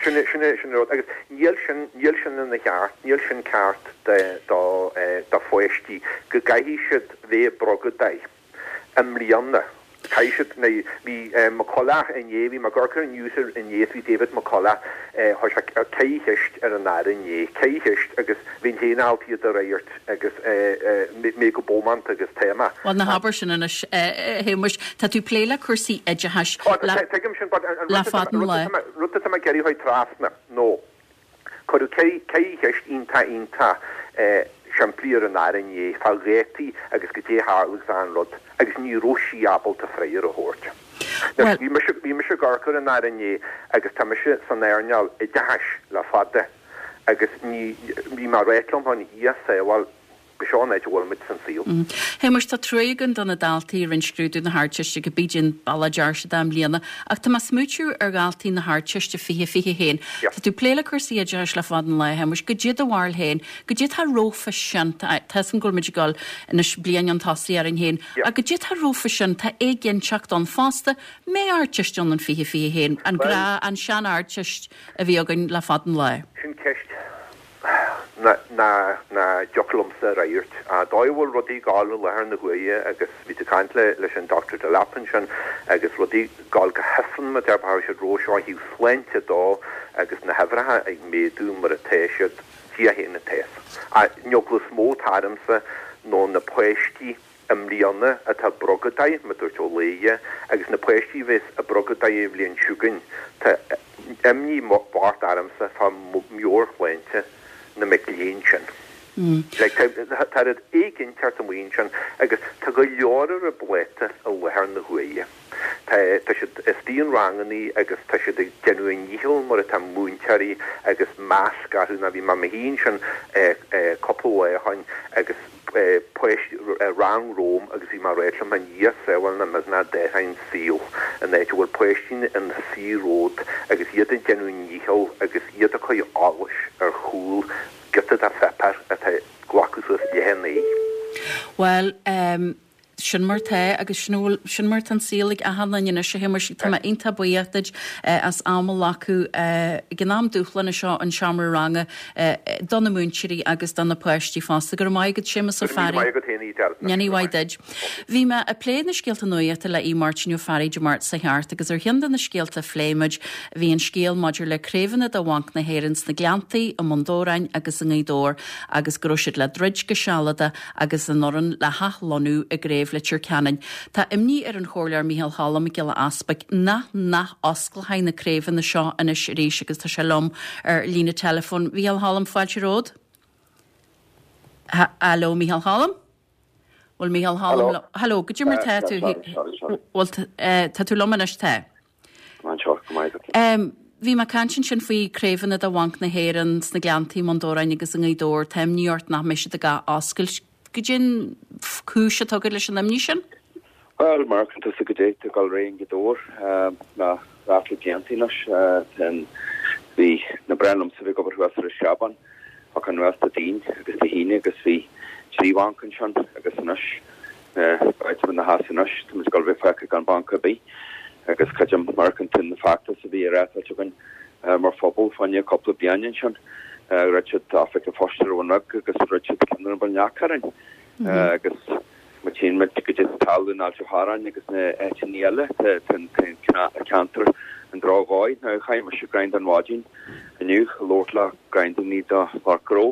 Sin an rud. Agus níl sin, níl sin ina cheart, níl sin ceart do pháistí go gcaithfidh siad bheith i bpurgadóir. i mbliana. Caithfidh siad, bhí McCullough inné, bhí mé ag amharc ar an news inné is bhí David McCullough, chuir sé ceithre cheist ar an Aire inné, ceithre cheist agus bhínn féin ábalta iad a fhreagairt agus mé go bómánta agus tá mé. Bhuel, ná habair sin anois, a Shéamuis. Tá tú ag plé le cúrsaí oideachais Tuigim sin, but an le fada an lá. rud atá mé ag iarraidh a chur trasna, nó. Cuireadh ceithre cheist iontach iontach simplí ar an Aire inné fá dhátaí agus goidé a tharla agus achan rud agus ní raibh sí ábalta freagra a thabhairt. Anois, bhí mise, bhí mise ag amharc ar an Aire inné agus tá mise san earnáil oideachais le fada agus ní, bhí mé ag ráit liom féin, a Dhia sábháil. B'seo an áit a bhfuil muid san saol. Shéamuis, tá truaigh againn do na daltaí a rinne scrúdú na hArdteiste, cibé cén bealach a deir siad i mbliana, ach tá mé ag smaoitiú ar dhaltaí na hArdteiste 2021. Tá tú ag plé le cúrsaí oideachais le fada an lá, a Shéamuis. Goidé do bharúil féin? Goidé tá rompa sin? Tá 'fhios agam go bhfuil muid ag dul anois bliain chun tosaigh orainn féin, ach goidé tá rompa sin? Tá éiginnteacht ann fosta. Mbeidh Ardteist ann in 2021, an gnáth, an sean-Ardteist a bhí againn le fada an lá? Sin ceist nach dtiocfadh liomsa a fhreagairt. An dóigh a bhfuil rudaí ag gabháil i láthair na huaire agus bhí tú ag caint leis an Dr Delap ansin agus rudaí ag gabháil go hifreann mar a déarfá siad romhainn seo ó thaobh sláinte dó agus na huimhreacha ag méadú mar atá siad, Dia féin atá fhios. An eagla is mó atá ormsa nó na páistí i mbliana atá ag brogadáil, mar dúirt Ó Laoire, agus na páistí a bheas ag brogadáil an bhliain chugainn, tá imní mhór ormsa fá mheabhairshláinte na mic léinn sin. Like, tá rud éiginteacht amuigh ansin agus tá go leor ar a bpláta i láthair na huaire. Tá, tá siad istigh in rangannaí agus tá siad ag déanamh a ndícheall mar atá múinteoirí agus masc orthu ná bhí mé i mo shuí ansin cúpla lá ó shoin agus páistí rang romham agus bhí mé ag ráit liom féin Dhia sábháil nach mbeadh ná dóthain saol in áit a bhfuil páistí ina suí romhat agus iad ag déanamh a ndícheall agus iad ag cur eolais ar chúl giota de pháipéar atá ag glacadh suas leath an lae. Bhuel, sin mar tá agus sin a bhfuil, sin mar tá an saol ag achan duine anois a Shéamuis. Tá mé iontach buíoch duit as am a ghlacadh ag an am dúshlánach seo an seomra ranga do na múinteoirí agus do na páistí fosta. Go raibh maith agat Séamus Ó Fearraigh. Go raibh míle maith agat féin Edel. Go raibh maith duit. Bhí mé ag plé na scéalta nuachta le Aodh Máirtín Ó Fearraigh Dé Máirt seo thart agus ar cheann de na scéalta a phléigh muid bhí an scéal maidir le craobhanna de Bhanc na hÉireann sna Gleanntaí, i mBun Dobhráin agus i nGaoth Dobhair agus go raibh siad le druid go sealadach agus an fhoireann le hathlonnú i gCraobh Leitir Ceanainn. Tá imní ar an Chomhairleoir Micheál Cholm Mac Giolla Easpaig nach n-ath-osclófaí na craobhanna seo anois arís agus tá sé liom ar líne teileafóin. Mhicheál Cholm, fáilte romhat. Haló Micheál Cholm? Bhfuil Micheál Cholm liom? Haló, goidé mar tá tú? Bhfuil tá tú liom anois tá? Anseo, go maith agat. Bhí mé ag caint ansin faoi craobhanna de Bhanc na hÉireann sna Gleanntaí, i mBun Dobhráin agus i nGaoth Dobhair. Tá imní ort nach mbeidh siad ag ath-oscailt. Goidé an cúis atá agat leis an imní sin? Bhuel, mar a fheiceann tusa goidé tá ag dul ar aghaidh i nGaoth Dobhair le ráfla blianta anois. Bhí na breá liomsa bheith ag obair thuas ar an Screabán, ach anuas Dé Daoin agus Dé hAoine agus bhí trí bhanc ansin agus anois Áit na has anois, tá muid ag dul a bheith fágtha gan banc ar bith agus creidim mar a fheiceann tú na feachtais a bhí á reáchtáilt againn mar phobal fá choinne cúpla bliain ansin. Dhruid siad oifig an phoist ar Abhainn Bheag agus dhruid siad ceann ar an Mhuileann gCearr orainn agus má tchíonn muid goidé atá ag tarlú in Ailt an Chorráin agus na áiteanna eile tá an ceantar i ndrochdhóigh. Now chuaigh mise go Dún Mhaidín inniu ag labhairt le roinnt daoine de lucht gnó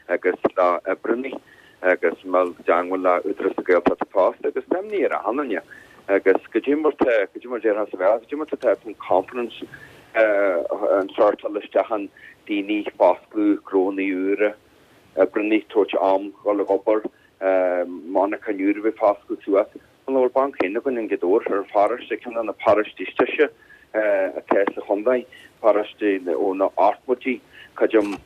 agus le oibreannaí agus mé i dteangmháil le Údarás na Gaeltachta fosta agus tá imní ar achan duine agus goidé mar tá, goidé mar déarfá sa Bhéarla, goidé mar tá an confidence an sórt dul isteach an daoine foscladh gnónnaí úra, oibreannaí tabhairt am dhul ag obair, monarchain úr a bheith foscladh suas. An bhfuil banc féin againn i nGaoth Dobhair ar pharóiste, ceann de na paróistí is deise atá sa chontae, paróiste ó na hochtóidí, creidim,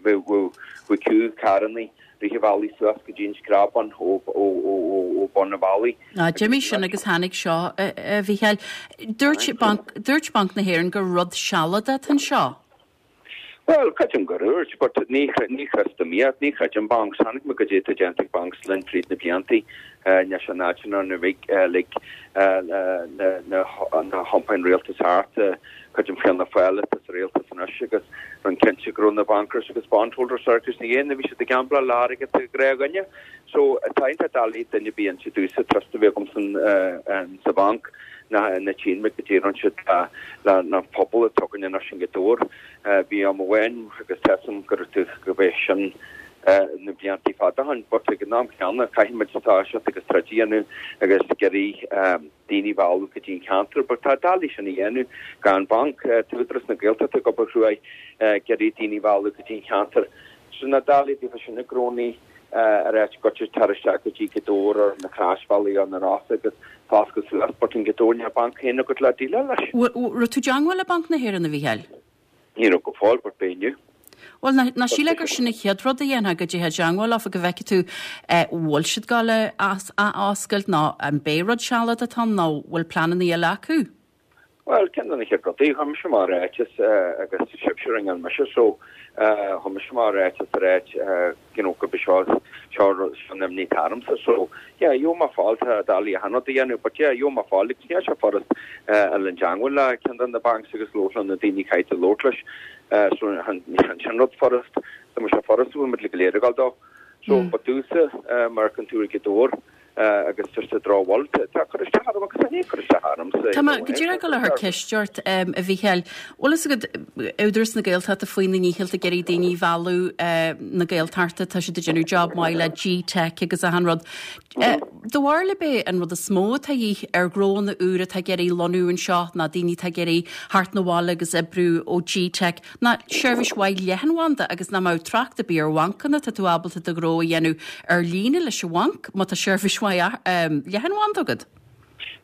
bheadh queue carrannaí rith an bhealaigh suas go dtí an Screabán ó bun an bhealaigh. Á, d'imigh sin agus tháinig seo, a Mhícheáil. Dúirt Banc, dúirt Banc na hÉireann gur rud sealadach atá anseo. Bhuel, creidim gur dhúirt, but ní, ní chreidim iad, ní chreidim bancs. Chonaic mé goidé atá déanta ag bancs linn fríd na bliantaí, anois an áit ina lig, lig na, na hiompáin rialtais thart, creidim Fianna Fáil atá sa rialtas anois agus rinne cinnte go raibh na bankers agus bondholders agus na dhéanamh, bhí siad ag gambláil le hairgead an ghnáthdhuine. So, tá iontach doiligh duine ar bith a inse domhsa trust a bheith agam san, sa bhanc. Na na tchíonn muid goidé a rinne siad le na pobal atá againn anois i nGaoth Dobhair. Bhí am amháin agus tá 'fhios a'm go raibh tú go b'é sin na bliantaí fada ó shin but ag an am chéanna caithfidh muid toiseacht agus troid a dhéanamh agus ag iarraidh daoine a mhealladh go dtí an ceantar but tá doiligh sin a dhéanamh gan banc. Tá Údarás na Gaeltachta ag obair chruaidh ag iarraidh daoine a mhealladh go dtí an cheantar. So ná doiligh daofa sin na gnónnaí ar áit goitse tar isteach go dtí Gaoth Dobhair ar na Croisbhealaí ar na Rosa agus foscladh suas but in Gaoth Dobhair níl banc féin agat le déileáil leis. Raibh tú i dteangmháil le Banc na hÉireann, a Mhícheáil? Ní raibh go fóill but beidh inniu. Bhuel, ná sílfeá gur sin an chéad rud a dhéanfá, go dtéifeá i dteangmháil leofa go bhfeicfidh tú an bhfuil siad ag gabháil a athoscailt nó an b'é rud sealadach atá ann nó bhfuil pleananna eile acu. Bhuel, ceann de na chéad rudaí, chuir mise amach ráiteas agus sibhse a ringeáil mise so chuir mise amach ráiteas ag ráit you know gurb é seo seo an imní atá ormsa so yeah gheobhaidh mé fáil tá doiligh achan rud a dhéanamh but yeah gheobhaidh mé fáil agus níl sé furast a dhul i dteangmháil le ceann de na banks agus labhairt le na daoine caithfidh tú labhairt leis so chan sin rud furast dá mbeadh sé furast bheadh muid go léir ag dul dó so but domhsa mar a fheiceann tú ar Ghaoth Dobhair agus just a drochbhail. Tá cur isteach orm agus tá cur isteach ormsa. Tá mé go díreach ag dul a chur ceist ort, a Mhícheáil. Bhfuil fhios agat, Údarás na Gaeltachta faoina ndícheall ag iarraidh daoine a mhealladh na Gaeltachta, tá siad ag déanamh job maith le G-Teic agus achan rud. Do bharúil ab é an rud is mó atá a dhíth ar ghnóanna úra atá ag iarraidh lonnú anseo ná daoine atá ag iarraidh theacht 'na bhaile agus oibriú ó G-Teic ná seirbhís mhaith leathanbhanda agus nach mbeadh trácht ar bith ar bhancanna, tá tú ábalta do ghnó a dhéanamh ar líne leis an bhanc má tá seirbhís mhaith leathanbhanda agat.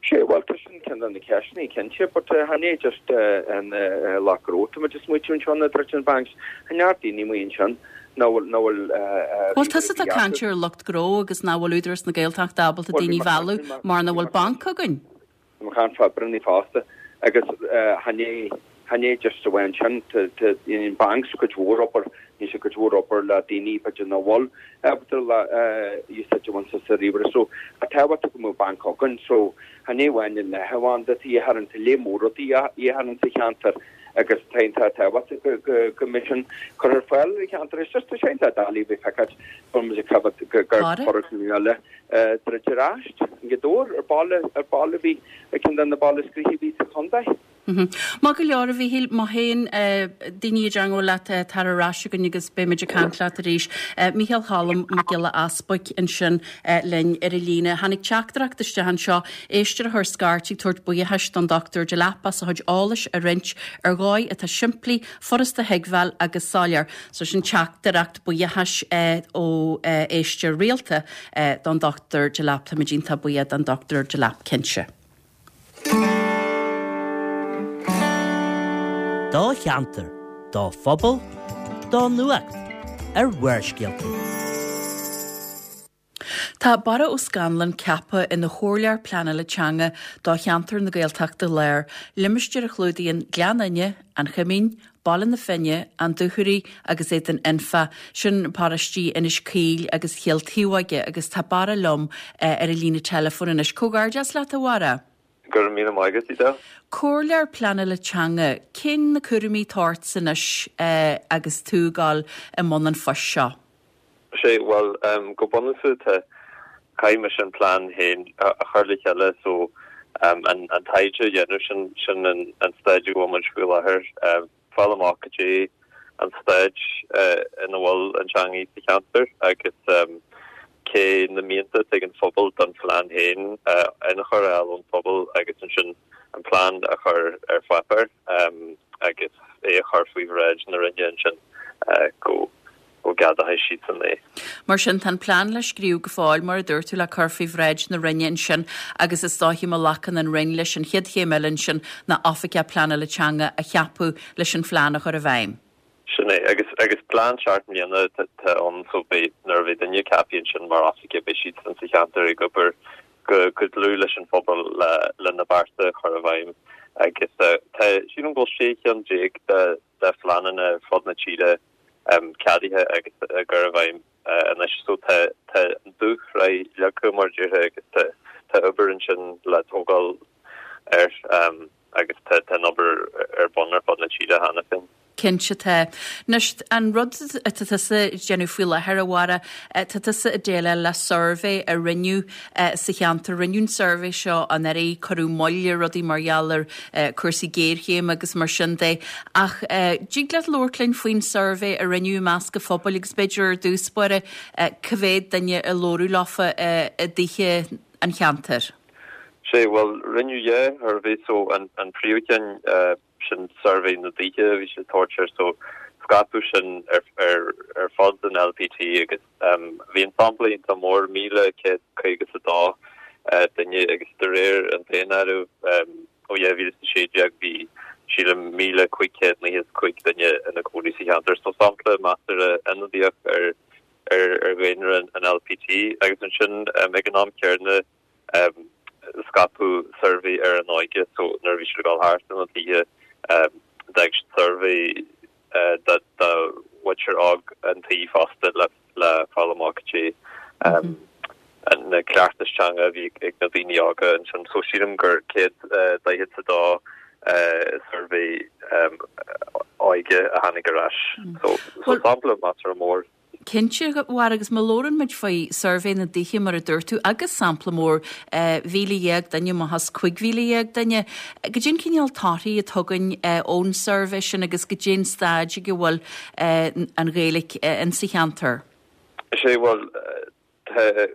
Sea, bhuel, tá sin ceann de na ceisteanna, cinnte, but chan é just an lucht gnó atá muid ag smaoitiú anseo ná druid na banks, tá neart daoine amuigh ansin nach bhfuil, nach bhfuil Bhuel, tusa atá ag caint ar lucht gnó agus nach bhfuil Údarás na Gaeltachta ábalta daoine a mhealladh mar nach bhfuil banc againn. Tá mé ag caint fá oibreannaí fosta agus chan é, chan é just amháin sin, tá an banks cuid mhór obair, níl sé cuid mhór obair le daoine b'fhéidir nach bhfuil ábalta le úsáid a bhaint as an ríomhaire so tá tábhachtach go mbeadh banc againn so chan é amháin an leathanbhanda atá de dhíth orainn, tá lear mór rudaí de dhíth orainn sa cheantar agus tá iontach tábhachtach go, go, go mbeidh sin curtha ar fáil ar an cheantar. It's just tá sé iontach doiligh a bheith ag feiceáil go bhfuil muid ag coimhéad go, gur foirgneamh eile druidte ar ais i nGaoth Dobhair ar baile ar baile a bhí ar ceann de na baile is gnoithí a bhí sa chontae. Maith go leor, a Mhíchíl. Má théann daoine i dteangmháil leat, tar ar ais chugainn agus beidh muid ag caint leat arís. Mícheál Cholm Mac Giolla Easbuic ansin linn ar an líne. Tháinig teachtaireacht isteach anseo, éisteoir a chuir scairt ag tabhairt buíochais don Dr Delap as a chuid eolais a roinnt ar dhóigh atá simplí, furasta a thuigbheáil agus soiléir. So sin teachtaireacht buíochais ó éisteoir rialta don Dr Delap. Táimid iontach buíoch don Dr Delap cinnte. Do cheantar, do phobal, do nuacht ar Bharrscéalta. Tá Barra Ó Scannláin ceaptha ina Chomhairleoir Pleanála Teanga do cheantar na Gaeltachta Láir, limistéar a chlúdaíonn Gleann Fhinne, An Choimín, Baile na Finne, An Dúchoraidh agus Éadan Anfa, sin paróistí Inis Caoil agus Chill Taobhóige agus tá Barra liom ar an líne teileafóin anois. Comhghairdeas leat, a Bharra! Go raibh míle maith agat, Edel. Comhairleoir Pleanála Teanga, cén na cúraimí atá ortsa anois agus tú ag dul i mbun an phoist seo? Sea, bhuel, go bunúsach tá, caithfidh mise an plean féin a chur le chéile so an taighde a dhéanamh, sin, sin an staid a bhfuil muid faoi láthair, fáil amach cad é an staid ina bhfuil an teangaidh sa cheantar agus cé na mianta atá ag an phobal don phlean féin, ionchur a fháil ón phobal agus ansin an plean a chur ar pháipéar agus é a chur faoi bhráid na Roinne ansin go go gceadóidh siadsan é. Mar sin, tá an plean le scríobh go fóill, mar a dúirt tú, le cur faoi bhráid na Roinne ansin agus is dóiche má ghlacann an Roinn leis an chéad chéim eile ansin ná Oifigeach Pleanála Teanga a cheapadh leis an phlean a chur i bhfeidhm. Sin é. Agus, agus plean seacht mbliana atá ann so beidh, nuair a bheidh duine ceaptha ansin mar oifigeach beidh siadsan sa cheantar ag obair go, go dlúth leis an phobal le, le na bearta a chur i bhfeidhm agus tá, sílim go bhfuil 16 cheann de, de phleananna ar fud na tíre ceadaithe agus á gcur i bhfeidhm anois. So tá an dúshraith leagtha mar a déarfá agus tá obair ansin le tógáil air agus tá an obair ar bun ar fud na tíre cheana féin. Cinnte tá. Anois, an rud atá tusa ag déanamh faoi láthair, a Bharra, tá tusa ag déileáil le suirbhé a rinneadh sa cheantar. Rinneadh an suirbhé seo anuraidh, cuireadh moill ar rudaí mar gheall ar cúrsaí géarchéime agus mar sin de. Ach dtig leat labhairt linn faoin suirbhé a rinneadh i measc an phobail agus b'fhéidir ar dtús báire cá mhéad duine a labhradh leofa i dtithe an cheantair? Sea, bhuel, rinneadh dhá shuirbhé so an príomhcheann sin suirbhé na dtithe a bhí siad ag tabhairt air so scaipeadh sin ar fud an LPT agus bhí an sampla iontach mór, 1,152 duine agus de réir an daonáirimh ó 2016 bhí. sílim 1,595 duine ina gcónaí sa cheantar. So sampla measartha ionadaíoch ar ar dhaonra an LPT agus ansin ag an am céanna scaipeadh suirbhé ar an óige so nuair a bhí siad ag dul thart ar na tithe d'fhág siad suirbhé do mhuintir óg an tí fosta le le fáil amach cad é na cleachtais teanga a bhí ag na daoine óga ansin. So sílim gur 142 suirbhé óige a tháinig ar ais. So sampla measartha mór. Cinnte, a Mháire, agus má labhrann muid faoi suirbhé na dtithe, mar a dúirt tú, agus sampla mór, 1,000 duine amach as 15,000 duine, goidé an cineál torthaí atá againn ón suirbhé sin agus goidé an staid ag a bhfuil an Ghaeilge insa cheantar? Is é, bhuel, Tá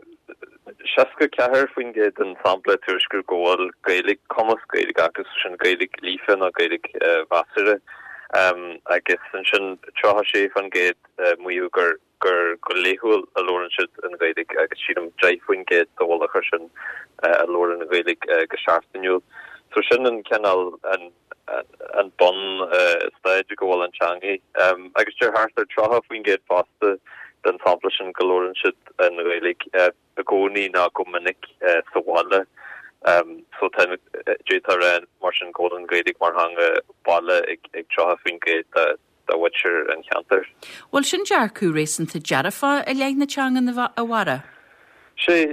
64% den sampla ag tuairisciú go bhfuil Gaeilge, cumas Gaeilge acu, so sin Gaeilge líofa nó Gaeilge mheasartha, agus ansin 36% maíodh gur gur go laethúil a labhrann siad an Ghaeilge agus sílim 10% sa mhullach air sin a labhrann an Ghaeilge go seachtainiúil. So sin an cineál an an bun staid go bhfuil an teangaidh. Agus deir thart ar 30% fosta den sampla sin go labhrann siad an Ghaeilge i gcónaí nó go minic sa bhaile. So tá, d'fhéadfá a rá mar sin go bhfuil an Ghaeilge mar theanga baile ag 30% de mhuintir an cheantair. Bhuel, sin dearcadh réasúnta dearfach i leith na teangan, a Mháire. Sea,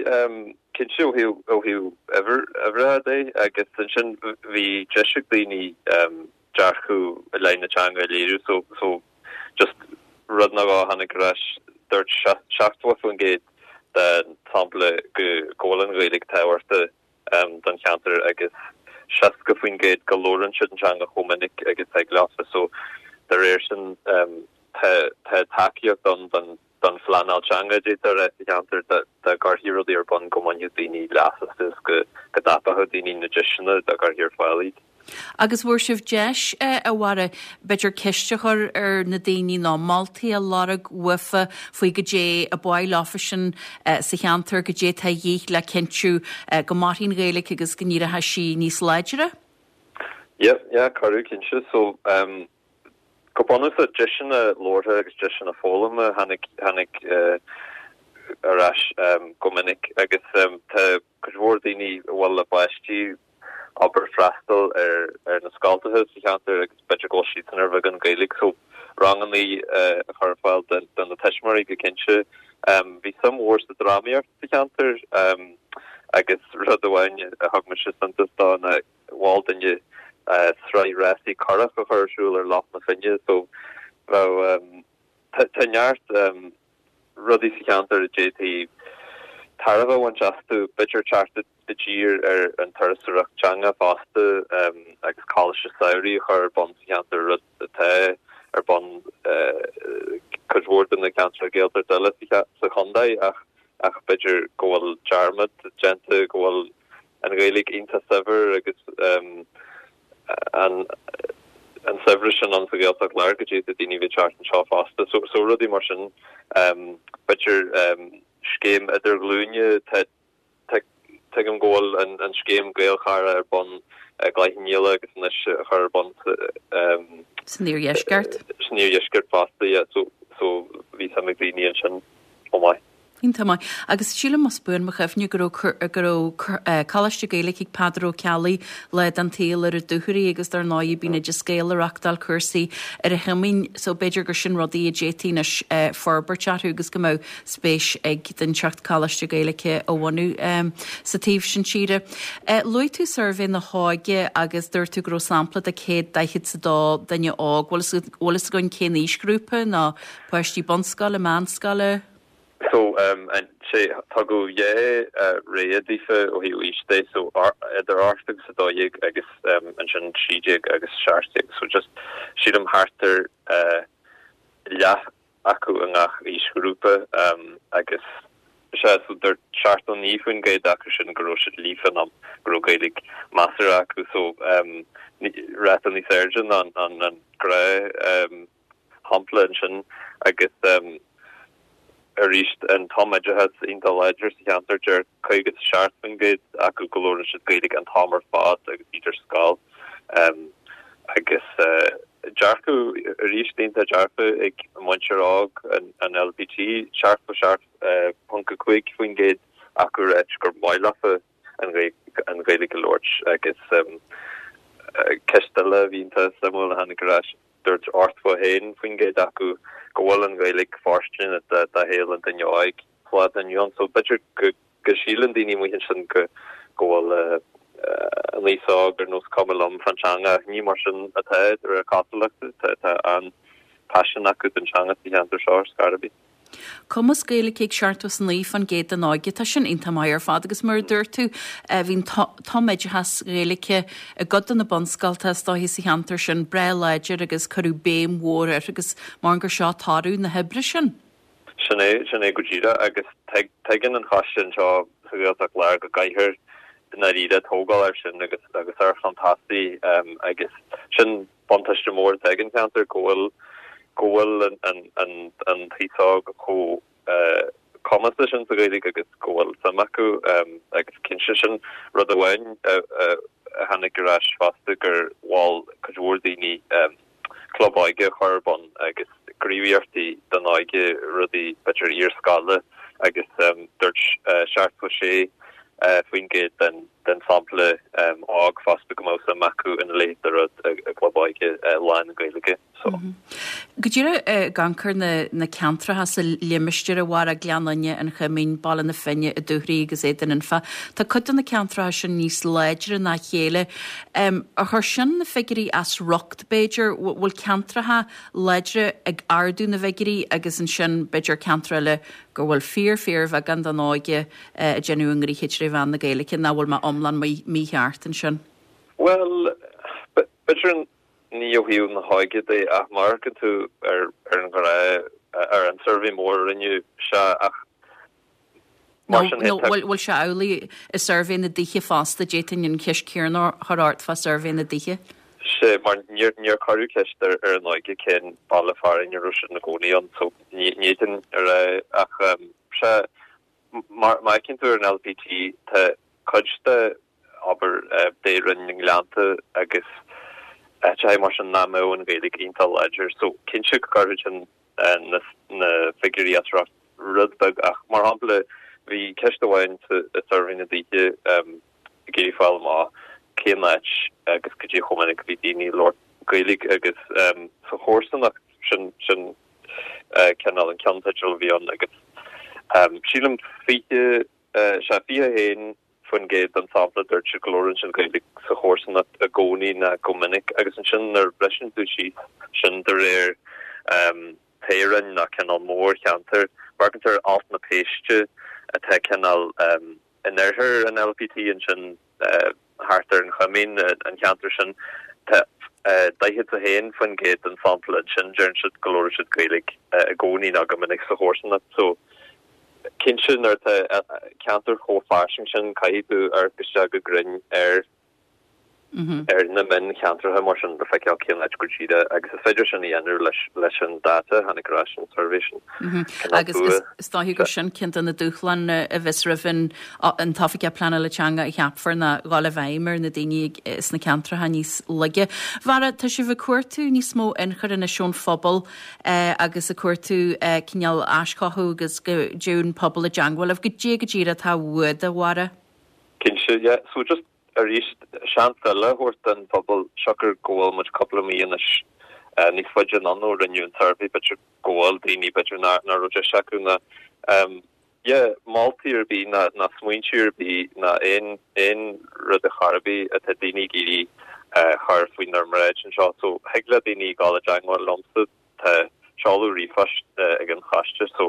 cinnte, ó thaobh, ó thaobh uimhreacha de, agus ansin bhí deis ag daoine dearcadh i leith na teanga a léiriú, so, so just rud nó dhó a tháinig ar ais, dúirt 70% den tsampla go, go bhfuil an Ghaeilge tábhachtach don cheantar agus 60% go labhrann siad an teanga chomh minic agus thig leofa. So dá réir sin tá tá tacaíocht ann don don phleanáil teanga d'fhéadfá a rá sa cheantar dá dá gcuirfí rudaí ar bun go mbainfeadh daoine leas astu is go go dtapódh daoine na deiseanna dá gcuirfí ar fáil iad. Agus bhfuair sibh deis, a Mháire, b'fhéidir ceist a chur ar na daoine nó moltaí a lorg uafa faoi goidé a ba mhaith leofasan sa cheantar, goidé atá a dhíth le cinntiú go mairfidh an Ghaeilge agus go n-éireoidh sí níos láidre? Yeah, yeah, cuireadh, cinnte. So, um, go bunúsach, deiseanna labhartha agus deiseanna foghlama tháinig, tháinig uh, ar ais um, go minic agus um, tá cuid mhór daoine a bhfuil a bpáistí abair freastal ar ar na scoltacha sa cheantar agus b'fhéidir go bhfuil siadsan ar bheagán Gaeilge so rangannaí a chur ar fáil do na tuismitheoirí go cinnte. Bhí suim mhór sa drámaíocht sa cheantar agus rud amháin a thug mise suntas dó ná mhol duine sraith rásaí curach a chur ar siúl ar Loch na Finne so bheadh tá neart rudaí sa cheantar a d'fhéadfaí tairbhe a bhaint astu, b'fhéidir teacht i dtír ar an turasóireacht teanga fosta agus coláiste samhraidh a chur ar bun sa cheantar, rud atá ar bun cuid mhór de na ceantracha Gaeltachta eile sa chontae ach ach b'fhéidir go bhfuil dearmad déanta go bhfuil an Ghaeilge iontach saibhir agus an an saibhreas sin ann sa Ghaeltacht Láir go dtí daoine a bheith ag teacht anseo fosta. So, so rudaí mar sin, b'fhéidir scéim idirghlúine, tá, tá, tuigim go bhfuil an, an scéim Gaelchara ar bun i gCloich Cheann Fhaola agus anois á chur ar bun sa, San iardheisceart. San iardheisceart fosta, yeah, so, so bhí suim ag daoine ansin chomh maith. Iontach maith. Agus sílim, más buan mo chuimhne, go raibh, go raibh Coláiste Gaeilge ag Peadar Ó Ceallaigh lá den tsaol ar an Dúchoraidh agus dar ndóigh bíonn Oideas Gael ag reachtáil cúrsaí ar an Choimín so b'fhéidir gur sin rudaí a d'fhéadfaí anois forbairt orthu agus go mbeadh spéis ag duine inteacht Coláiste Gaeilge a bhunú sa taobh sin tíre. Luaigh tú suirbhé na hóige agus dúirt tú go raibh sampla de 142 duine óg. Bhfuil bhfuil fhios againn cén aoisghrúpa nó páistí bunscoile, meánscoile? So, sé, tugadh dhá rogha daofa ó thaobh aois de, so idir 8 agus 12 agus ansin 13 agus 17. So just, sílim thart ar leath acu i ngach aoisghrúpa agus sea, so dúirt 79% acu sin go raibh siad líofa nó go raibh Gaeilge measartha acu, so ráta níos airde ná an gnáth shampla ansin agus arís an tumoideachas iontach láidir sa cheantar, deir 57% acu go labhrann siad Gaeilge an t-am ar fad agus iad ar scoil. Agus dearcadh arís iontach dearfa ag muintir óg an LPT, 77.5% acu ag ráit gur maith leofa an Ghaeilge a labhairt agus ceist eile a bhí iontach suimiúil a tháinig ar ais, dúirt 81% acu go bhfuil an Ghaeilge fóirsteanach do shaol an duine óig sa lá atá inniu ann. So b'fhéidir go go síleann daoine amuigh ansin go go bhfuil an aos óg ar nós cuma liom fán teanga ach ní mar sin atá de réir cosúlachta. Tá tá an-phaisean acu don teanga sa cheantar seo ar scor ar bith. Cumas Gaeilge ag 79% den óige, tá sin iontach maith ar fad agus mar a dúirt tú bhí an tumoideachas Gaeilge i gcuid de na bunscoltacha is dóiche sa cheantar sin breá láidir agus cuireadh béim mhór air agus mar gur seo toradh na hoibre sin. Sin é, sin é go díreach agus tuigeann an choiste anseo sa Ghaeltacht Láir go gcaithfear i ndáiríre tógáil air sin agus agus ar chun tosaigh agus sin buntáiste mór atá ag an cheantar go bhfuil go bhfuil an an an an t-aos óg chomh cumasach sin sa Ghaeilge agus go bhfuil suim acu agus cinnte sin rud amháin a tháinig ar ais fosta gur mhol cuid mhór daoine club óige a chur ar bun agus gníomhaíochtaí don óige, rudaí b'fhéidir iarscoile agus dúirt 76% den den sampla óg fosta go mbeadh suim acu ina leithéid de rud i gclub óige lán-Ghaeilge. So. Go díreach ag amharc ar na na ceantracha sa limistéar a Bharra, Gleann Fhinne, An Choimín, Baile na Finne, An Dúchoraidh agus Éadan Anfa, tá cuid de na ceantracha sin níos láidre ná a chéile. Ar chuir sin na figiúirí as riocht, b'fhéidir? Bhfuil ceantracha láidre ag ardú na bhfigiúirí agus ansin b'fhéidir ceantar eile go bhfuil fíor fíorbheagán den óige ag déanamh a ngnoithe tré mheán na Gaeilge, nó bhfuil mé iomlán mícheart ansin? Bhuel, b'fhéidir ní ó thaobh na hóige de ach má amharcann tú ar an ghnáth, ar an suirbhé mór a rinneadh, sea ach Mar sin féin, tá. Nó bhfuil sé amhlaidh i suirbhé na dtithe fosta, d'fhéadfainn an cheist chéanna a chur ort fá suirbhé na dtithe. Sea, mar níor níor cuireadh ceist ar ar an óige cén baile fearainn a raibh siad ina gcónaí ann, so ní ní fhéadfainn a rá ach sea, mar má fheiceann tú ar an LPT tá cuid de abair Dé-Roinn na nGleannta agus áiteacha mar sin nach mbeadh an Ghaeilge iontach láidir. So cinnte go gcuirfeadh sin na na figiúirí as riocht rud beag ach mar shampla bhí ceist amháin sa i suirbhé na dtithe ag iarraidh fáil amach cén áit agus cad é chomh minic a bhí daoine ag labhairt Gaeilge agus sa chomharsanacht sin sin cineál an ceannteideal a bhí ann agus sílim 20 sea 21 % den sampla dúirt siad go labhrann siad Gaeilge sa chomharsanacht i gcónaí ná go minic agus ansin nuair a bhriseann tú síos sin de réir toghroinn ná cineál mórcheantair, amharcann tú ar Alt na Péiste atá cineál in oirthear an LPT ansin thart ar an Choimín, an cheantar sin, tá 41% den sampla ansin deireann siad go labhrann siad Gaeilge i gcónaí ná go minic sa chomharsanacht. So cinnte nuair atá ceantar chomh fairsing sin caithfidh tú amharc isteach go grinn ar ar na mioncheantracha mar sin le feiceáil cén áit go díreach agus is féidir sin a dhéanamh leis leis an data a tháinig ar ais ón suirbhé sin. Agus is is dóiche gur sin ceann de na dúshláin a bheas roimh an an tOifigeach Pleanála Teanga a cheapfar ná dhul i bhfeidhm ar na daoine sna ceantracha níos laige. Bharra, tá sibh ag cuartú níos mó ionchur anois ón phobal agus ag cuartú cineál aischothú agus go dtéadh an pobal i dteangmháil libh. Goidé go díreach atá uait, a Bharra? Cinnte, yeah. So just arís, seans eile a thabhairt don phobal, siocair go bhfuil muid cúpla mí anois níos faide anonn ó rinneadh an suirbhé, b'fhéidir go bhfuil daoine, b'fhéidir nach raibh deis acu ná yeah, moltaí ar bith ná ná smaointe ar bith ná aon aon rud ar chor ar bith atá daoine ag iarraidh a chur faoinár mbráid anseo. So thig le daoine dul i dteangmháil liomsa, tá seoladh ríomhphoist ag an choiste so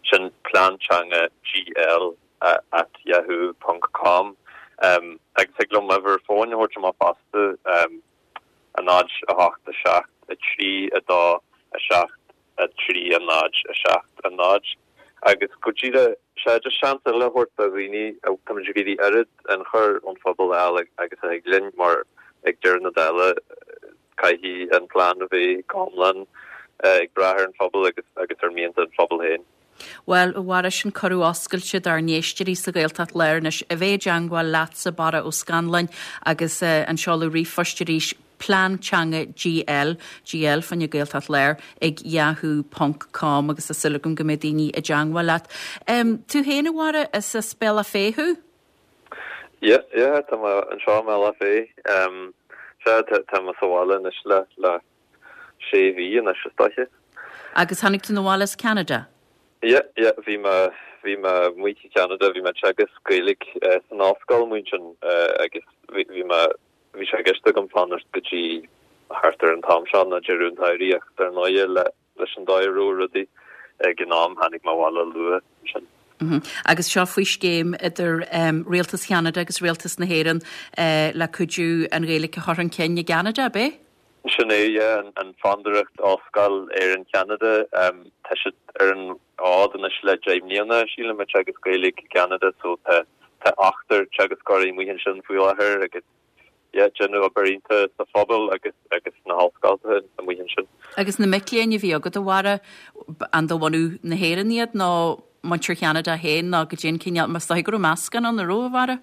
sin plean teanga GL at yahoo ponc com agus thig liom m'uimhir fóin a thabhairt amach fosta, 0 8 7 3 2 7 3 0 7 0 agus go díreach, sea, just seans eile a thabhairt do dhaoine, táimid ag iarraidh oiread ionchur ón phobal a fháil agus a thig linn mar ag deireadh na dála caithfidh an plean a bheith go hiomlán ag brath ar an phobal agus agus ar mhianta an phobail féin. Bhuel, a Bharra, sin cuireadh oscailte dár n-éisteoirí sa Ghaeltacht Láir anois a bheith i dteangmháil leatsa, Barra Ó Scanláin, agus an seoladh ríomhphoist arís. Plean Teanga GL, GL fá choinne Gaeltacht Láir, ag yahoo ponc com agus tá súil agam go mbeidh daoine i dteangmháil leat. Tú féin, a Bharra, is as Bealach Féich thú? Yeah, yeah, tá mé anseo i mBealach Féich. Sea, tá mé sa bhaile anois le, le sé mhí anois is dóiche. Agus tháinig tú 'na bhaile as Ceanada? Yeah, yeah, bhí mé, bhí mé amuigh i Ceanada, bhí mé ag teagasc Gaeilge san ollscoil amuigh ansin agus bhí, bhí mé, bhí sé i gceist agam fanacht go dtí thart ar an t-am seo nó deireadh an tsamhraidh ach dar ndóighe le, leis an dóigh a raibh rudaí ag an am tháinig mé abhaile luath ansin. Agus seo faoi scéim idir Rialtas Cheanada agus Rialtas na hÉireann le cuidiú an Ghaeilge a chur chun cinn i gCeanada, ab é? Sin é, yeah, an Fondúireacht Ollscoil Éireann-Cheanada. Tá siad ar an fhód anois le 10 mbliana, sílim, ag teagasc Gaeilge i gCeanada so tá ochtar teagascóirí amuigh ansin faoi láthair agus yeah, déanamh obair iontach sa phobal agus agus sna hollscoileanna amuigh ansin. Agus na mic léinn a bhí agat, a Bharra, an de bhunadh na hÉireann iad nó muintir Cheanada féin nó goidé an cineál, mar is dóigh go raibh meascán ann, an raibh, a Bharra?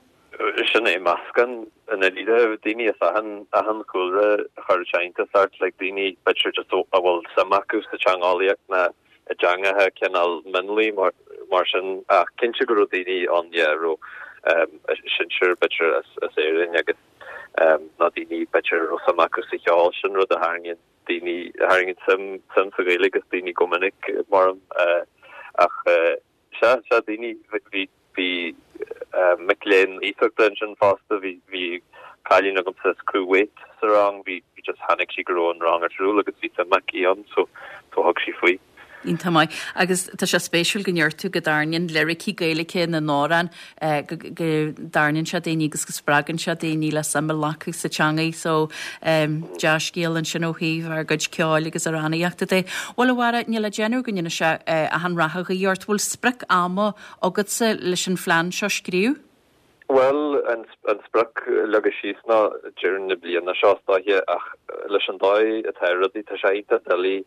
Sin é, meascán i ndáiríre, daoine as achan, achan chúlra a chuir sé iontas ort, like daoine b'fhéidir just a bhfuil suim acu sa teangeolaíocht ná i dteangacha cineál mionlaigh mar, mar sin ach cinnte go raibh daoine ann yeah a raibh a sinsir b'fhéidir as, as Éirinn agus ná daoine b'fhéidir a raibh suim acu sa cheol, sin rud a tharraingíonn daoine, a tharraingíonn suim, suim sa Ghaeilge as daoine go minic mar ach Sea, sea, daoine, bhí, bhí mic léinn iasachta ansin fosta, bhí, bhí cailín agamsa as Kuwait sa rang, bhí, bhí just, chonaic sí go raibh an rang ar siúl agus bhí suim aici ann so, so thug sí faoi. Iontach maith. Agus tá sé spéisiúil go ndeir tú go dtarraingíonn liricí Gaeilge na n-amhrán, go, go dtarraingíonn sé daoine agus go spreagann sé daoine le suim a ghlacadh sa teangaidh so dea-scéal ansin ó thaobh ár gcuid ceoil agus amhránaíochta de. Bhuel a Bharra, níl le déanamh go ndéana sé achan rath a ghuí ort. Bhfuil sprioc ama agatsa leis an phlean seo a scríobh? Bhuel, an sprioc leagtha síos ná deireadh na bliana seo is dóiche ach leis an dóigh atá rudaí, tá sé iontach doiligh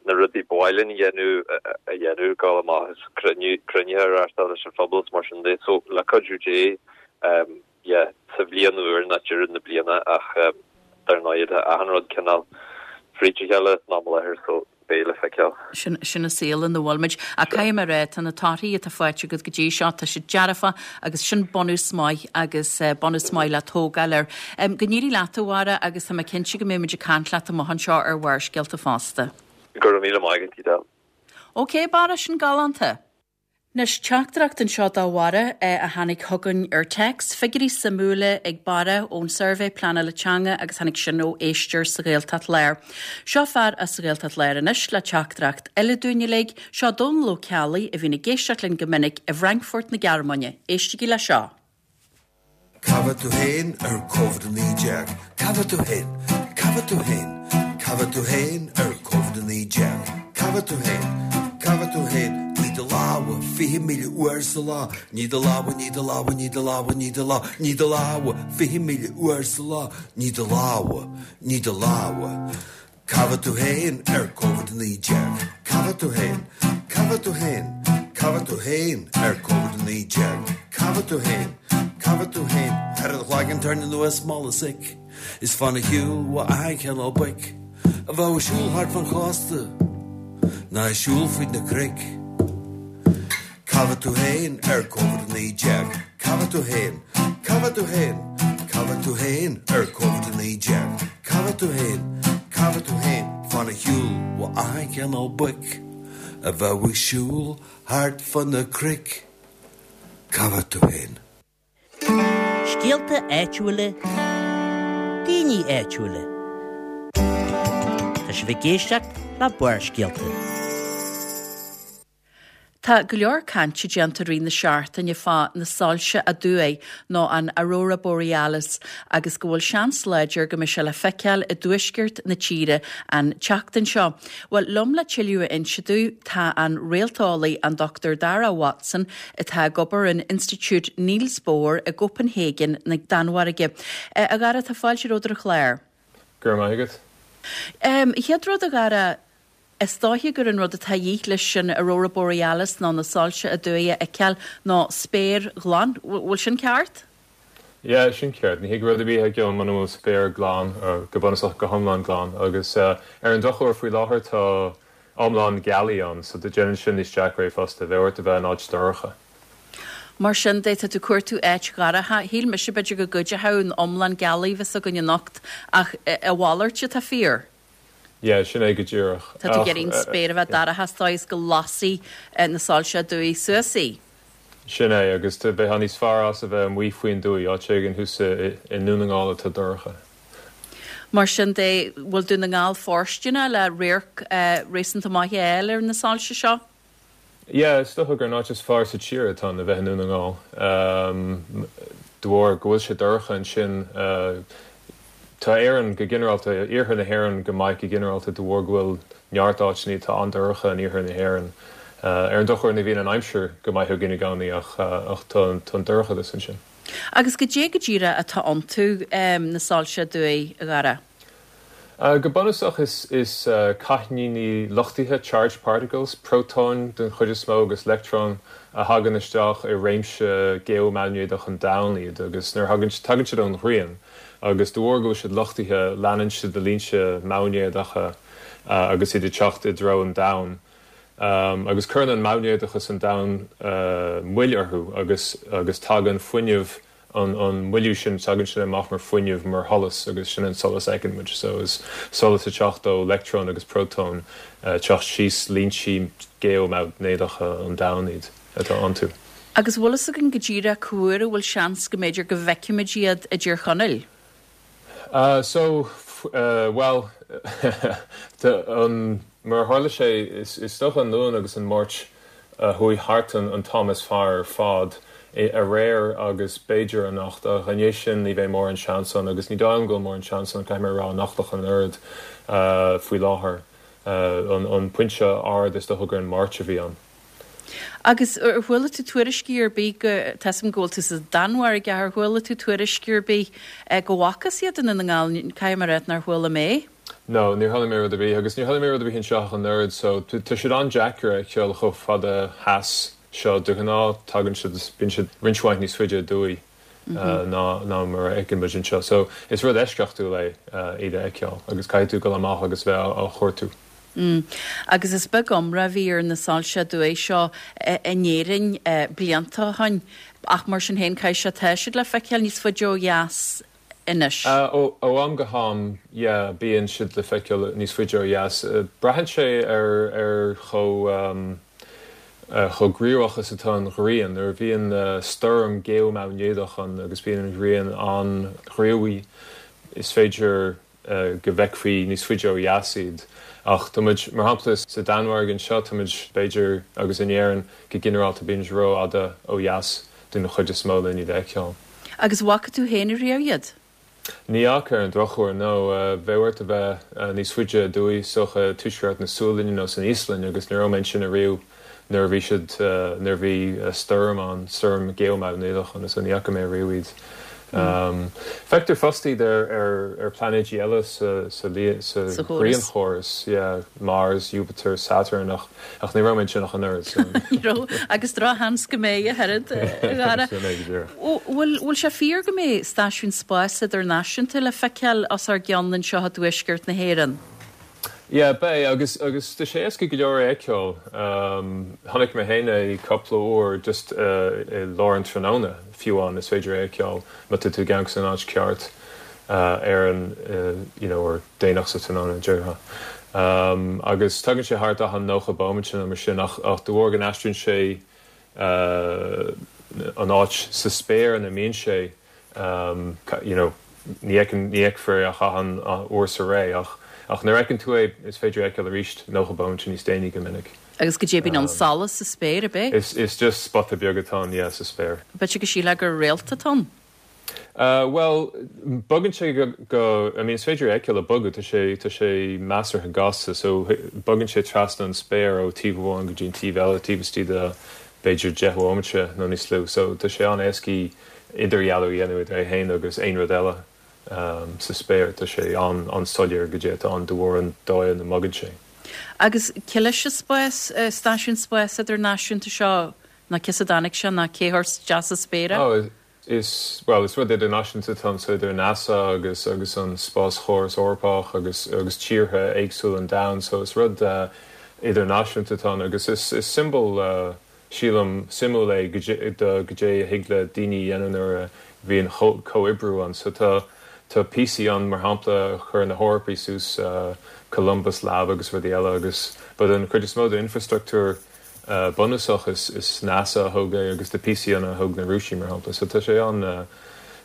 na rudaí ba mhaith linn a dhéanamh a dhéanamh, dul amach is cruinnithe a reáchtáil leis an phobal is mar sin de. So, le cuidiú Dé, yeah, sa bhliain úr ná deireadh na bliana ach dar ndóigh tá achan rud cineál fríd a chéile san am i láthair so beidh le feiceáil. Sin, sin an saol ina bhfuil muid. Ach caithfidh mé a rá, tá na torthaí atá faighte agat go dtí seo, tá siad dearfach agus sin bunús maith agus bunús maith le tógáil air. Go n-éirí leat a Bharra agus tá mé cinnte go mbeidh muid ag caint leat amach anseo ar Bharrscéalta fosta. Go raibh míle maith agat, Edel. Ok, Barra, sin galánta. Anois, teachtaireacht anseo do Bharra a tháinig chugainn ar text, figiúirí suimiúla ag Barra ón suirbhé pleanála teanga agus tháinig sin ó éisteoir sa Ghaeltacht Láir. Seo fear as an Ghaeltacht Láir anois le teachtaireacht eile dúinn uilig, seo Dónal Ó Ceallaigh a bhíonn ag éisteacht linn go minic i bhFrankfurt na Gearmáine. Éistigí le seo. Cá bhfuil tú féin ar Covid-19? Cá bhfuil tú féin? Cá bhfuil tú féin? Cá bhfuil tú féin ar Covid-19? Cá bhfuil tú féin? Cá bhfuil tú féin? Nigh do lámha 20,000 uair sa lá. Nigh do lámha, nigh do lámha, nigh do lámha, nigh do lámha, nigh do lámha 20,000 uair sa lá. Nigh do lámha, nigh do lámha. Cá bhfuil tú féin ar Covid-19? Cá bhfuil tú féin? Cá bhfuil tú féin? Cá bhfuil tú féin ar Covid-19? Cá bhfuil tú féin? Cá bhfuil tú féin? Cuir do chloigeann tairne anuas mála sic Is fan a shiúl ó achan chineál boic A bheadh ag siúl thart fan chósta Ná ag siúl fríd na cnoic Cá bhfuil tú féin ar Covid-19? Cá bhfuil tú féin? Cá bhfuil tú féin? Cá bhfuil tú féin ar Covid-19? Cá bhfuil tú féin? Cá bhfuil tú féin? Fan a shiúl ó achan chineál boic a bheadh ag siúl thart fá na cnoic. Cá bhfuil tú féin? Scéalta áitiúla, daoine áitiúla. Tá sibh ag éisteacht le Barrscéalta. Tá go leor cainte déanta i rith na seachtaine fá na soilse aduaidh nó an Aurora Borealis agus go bhfuil seans láidir go mbeidh sé le feiceáil i dtuaisceart na tíre an tseachtain seo. Bhuel, liom le tuilleadh a inse dúinn tá an réalteolaí an Dr Dara Watson atá ag obair in Institiúid Niels Bohr i gCópenhagen na Danmhairge. A Dhara, tá fáilte romhat ar an chlár. Go raibh maith agat. Chéad rud a Dhara, Is dóiche gur an rud atá a dhíth leis an Aurora Borealis nó na soilse aduaidh a fheiceáil ná spéir ghlan. Bhfuil sin ceart? Yeah, sin ceart. Ní thig rud ar bith a fheiceáil muna bhfuil spéir glan, go bunúsach go hiomlán glan. Agus ar an drochuair faoi láthair tá iomlán gealaí ann, so déanann sin níos deacra é fosta, bheadh ort a bheith in áit dorcha. Mar sin de, tá tú ag cuartú áit dhorcha. Shíl mise b'fhéidir go gcuideochadh an iomlán gealaí a bheas againn anocht, ach a mhalairt atá fíor. Yeah, sin é go díreach. Tá tú ag iarraidh an spéir a bheith dorcha sa dóigh is go lasfaidh na soilse aduaidh suas í. Sin é, agus bheifeá níos fearr as a bheith amuigh faoin dtuaith, áit éigin thuas i nDún na nGall atá dorcha. Mar sin de, bhfuil Dún na nGall fóirsteanach le radharc réasúnta maith a fháil ar na soilse seo? Yeah, is dócha gur an áit is fearr sa tír atá ann a bheith i nDún na nGall. De bharr go bhfuil sé dorcha ansin, tá Éirinn go ginearálta, iarthar na hÉireann go maith go ginearálta de bharr go bhfuil neart áiteanna atá an-dorcha in iarthar na hÉireann. Ar an drochuair ní bhíonn an aimsir go maith againn i gcónaí ach tá an dorchadas ansin. Agus goidé go díreach atá iontu, na soilse aduaidh, a Dhara? Go bunúsach is cáithníní luchtaithe, charged particles, prótóin den chuid is mó agus leictreoin a thagann isteach i réimse geomaighnéadach an Domhain iad agus nuair a thagann, tagann siad ón ghrian agus de bharr go bhfuil siad luchtaithe leanann siad na línte maighnéadacha agus iad ag teacht i dtreo an Domhain agus cuireann an maighnéadachas an Domhain moill orthu agus agus tagann fuinneamh an moilliú sin, tagann sin amach mar fuinneamh, mar sholas agus sin an solas a fheiceann muid. So is solas ag teacht ó leictreoin agus prótóin ag teacht síos línte geomaighnéadacha an Domhain iad atá iontu. Agus bhfuil fhios againn go díreach cá huair a bhfuil seans go mb'fhéidir go bhfeicfimid iad i dTír Chonaill? So, bhuel, an, mar a tharla sé, is dócha an Luan agus an Máirt a chuaigh thart an t-am is fearr ar fad, aréir agus b'fhéidir anocht, ach i ndiaidh sin ní bheidh mórán seans ann agus ní dóigh liom go bhfuil mórán seans ann, caithfidh mé a rá, anocht ach an oiread, faoi láthair. An pointe ard is dócha gur an Máirt a bhí ann. Agus ar chuala tú tuairiscí ar bith go, tá 'fhios a'm go bhfuil tú sa Danmhairg ach ar chuala tú tuairiscí ar bith go bhfacthas iad i nDún na nGall, caithfidh mé a rá nár chuala mé. No, níor chuala mé rud ar bith agus níor chuala mé rud ar bith anseo ach an oiread so tá siad an-deacair a fheiceáil chomh fada theas seo. De ghnáth tagann siad, bíonn siad roinnt mhaith níos faide aduaidh ná ná mar a fheiceann muid anseo. So is rud eisceachtúil é iad a fheiceáil agus caithfidh tú dul amach agus bheith á chuartú. Mm. Agus is beag iomrá a bhí ar na soilse aduaidh seo in Éirinn blianta ó shoin ach mar sin féin caithfidh sé tá siad le feiceáil níos faide ó dheas anois. Ó am go ham, yeah, bíonn siad le feiceáil níos faide ó dheas. Braitheann sé ar ar chomh chomh gníomhach is atá an ghrian. Nuair a bhíonn stoirm geomaighnéadach ann agus bíonn an ghrian an-ghníomhach, is féidir go bhfeicfí níos faide ó dheas iad. Ach tá muid, mar shampla, sa Danmhairg anseo, tá muid, b'fhéidir, agus in Éirinn go ginearálta, bíonn muid rófhada ó dheas den chuid is mó len iad a fheiceáil. Agus bhfaca tú féin ariamh iad? Ní fhaca, ar an drochuair, no. Bheadh ort a bheith níos faide aduaidh, is dócha, i tuaisceart na Sualainne nó san Íoslainn, agus ní raibh mé ansin ariamh nuair a bhí siad, nuair a bhí stoirm ann, stoirm geomaighnéadach ann, so ní fhaca mé ariamh iad. Feictear fosta iad ar, ar, ar pláinéidí eile sa, sa, sa ghrianchóras, yeah, Mars, Jupiter, Saturn, ach, ach ní raibh mé ansin ach an oiread, so. Ní raibh, agus drochsheans go mbeidh ach oiread, a Dhara. Sin é go díreach. Bhfuil, bhfuil sé fíor go mbeidh stáisiún spáis idirnáisiúnta le feiceáil os ár gcionn anseo i dtuaisceart na hÉireann? Yeah, beidh, agus, agus tá sé éasca go leor é a fheiceáil. Chonaic mé féin é cúpla uair just i lár an tráthnóna, fiú amháin, is féidir é a fheiceáil má tá tú ag amharc san áit ceart ar an, you know, or déanach sa tráthnóna, déarfá. Agus tagann sé thart achan 90 bomaite nó mar sin ach, ach de bharr go n-aistríonn sé an áit sa spéir ina mbíonn sé, you know, ní fheiceann, ní fheicfear é ach achan uair sa ré, ach, ach nuair a fheiceann tú é, is féidir é a fheiceáil arís 90 bomaite níos déanaí go minic. Agus goidé bíonn ann, solas sa spéir, ab é? Is, is just spota beag atá ann, yeah, sa spéir. B'fhéidir go sílfeá gur réalta atá ann? Bhuel, bogann sé go, go, I mean, is féidir é a fheiceáil ag bogadh, tá sé, tá sé measartha gasta, so bogann sé trasna an spéir ó taobh amháin go dtí an taobh eile, taobh istigh de b'fhéidir 10 bhomaite nó níos lú, so tá sé an-éascaí idirdhealú a dhéanamh idir é féin agus aon rud eile sa spéir, tá sé an-soiléir goidé atá ann de bharr an dóigh ina mbogann sé. Agus cé leis an spás, stáisiún spáis idirnáisiúnta seo, nó cé as a dtáinig sé, nó cé chuir isteach sa spéir é? Oh. Is, bhuel, is rud idirnáisiúnta atá anso idir NASA agus agus an Spáschóras Eorpach agus agus tíortha éagsúla an domhain so is rud idirnáisiúnta atá ann agus is is siombail sílim suimiúil é goidé do goidé a thig le daoine a dhéanamh nuair a bhíonn comhoibriú ann. So tá tá píosaí ann mar shampla a chuir na hEorpaigh suas Columbus Lab agus rudaí eile agus but an chuid is mó d'infrastruchtúr bunúsach is NASA a thóg é agus tá píosaí ann a thóg na Rúisigh mar shampla. So tá sé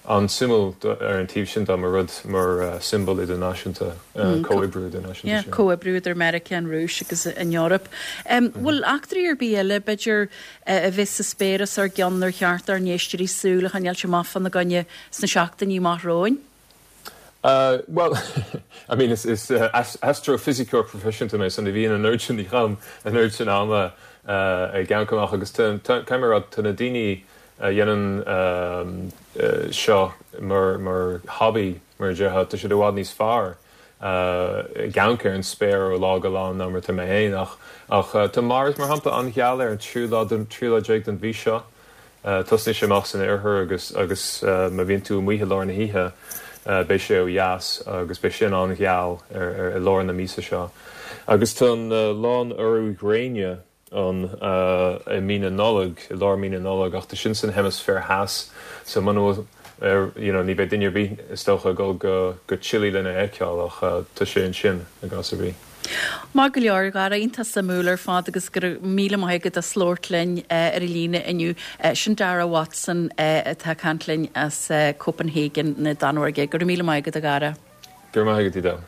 an-suimiúil ar an taobh sin de mar rud mar siombail idirnáisiúnta, comhoibriú idirnáisiúnta. Yeah, comhoibriú idir Meiriceá, an Rúis agus an Eoraip. Bhfuil eachtraí ar bith eile, b'fhéidir, a bheas sa spéir os ár gcionn ar cheart dár n-éisteoirí súil a choinneáilt amach fána gcoinne sna seachtainí amach romhainn? Bhuel, I mean, is astrofisiceoir proifisiúnta mé, so ní bhíonn an oiread sin, ní chaithim an oiread sin ama ag amharc amach agus caithfidh mé a rá, tá na daoine a dhéanann seo mar hobby, mar a déarfá, tá siad i bhfad níos fearr ag amharc ar an spéir ó lá go lá ná mar atá mé féin ach tá Mars, mar shampla, an-gheal ar an tríú lá déag den mhí seo. Tosnaíonn sé amach san oirthear agus agus má bhíonn tú amuigh i lár na hoíche beidh sé ó dheas agus beidh sin an-gheal ar ar i lár na míosa seo. Agus tá an lánurú gréine ann i mí na Nollag, i lár mí na Nollag ach tá sin san heimisféar theas so muna bhfuil ar you know ní bheidh duine ar bith is dócha ag dul go go Chile lena fheiceáil ach tá sé ansin i gcás ar bith. Maith go leor, a Dhara, iontach suimiúil ar fad agus go raibh míle maith agat as labhairt linn ar an líne inniu. Sin Dara Watson atá ag caint linn as Copenhagen na Danmhairge. Go raibh míle maith agat, a Dhara. Go raibh maith agat, Edel.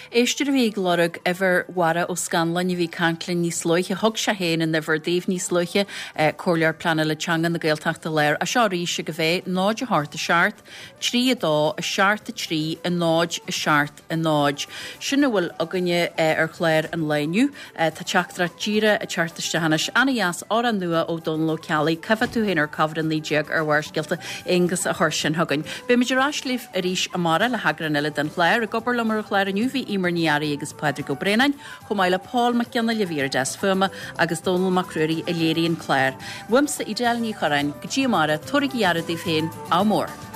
Éisteoir a bhí ag lorg uimhir Bharra Ó Scanláin a bhí ag caint linn níos luaithe. Thug sé féin an uimhir daoibh níos luaithe, Comhairleoir Pleanála Teanga na Gaeltachta Láir. Seo arís agaibh é, 0 8 7 3 2 7 3 0 7 0. Sin a bhfuil againne ar chlár an lae inniu. Tá teachtaireacht díreach ag teacht isteach anois. Ana-dheas, amhrán nua ó Dónal Ó Ceallaigh, Cá bhfá tú féin ar Covid-19 ar Bharrscéalta. Aonghus a chuir sin chugainn. Beimid ar ais libh arís amárach le heagrán eile den chlár. Ag obair liom ar an chlár inniu bhí Eimear Ní Fhearraigh agus Pádraig Ó Braonáin, chomh maith le Pól Mac Fhionnghaile a bhí ar an deasc fuaime agus Dónal Mac Ruairí a léirigh an clár. Uaimse Edel Ní Chorráin, go dtí amárach, tabhairaigí aire daoibh féin, ádh mór!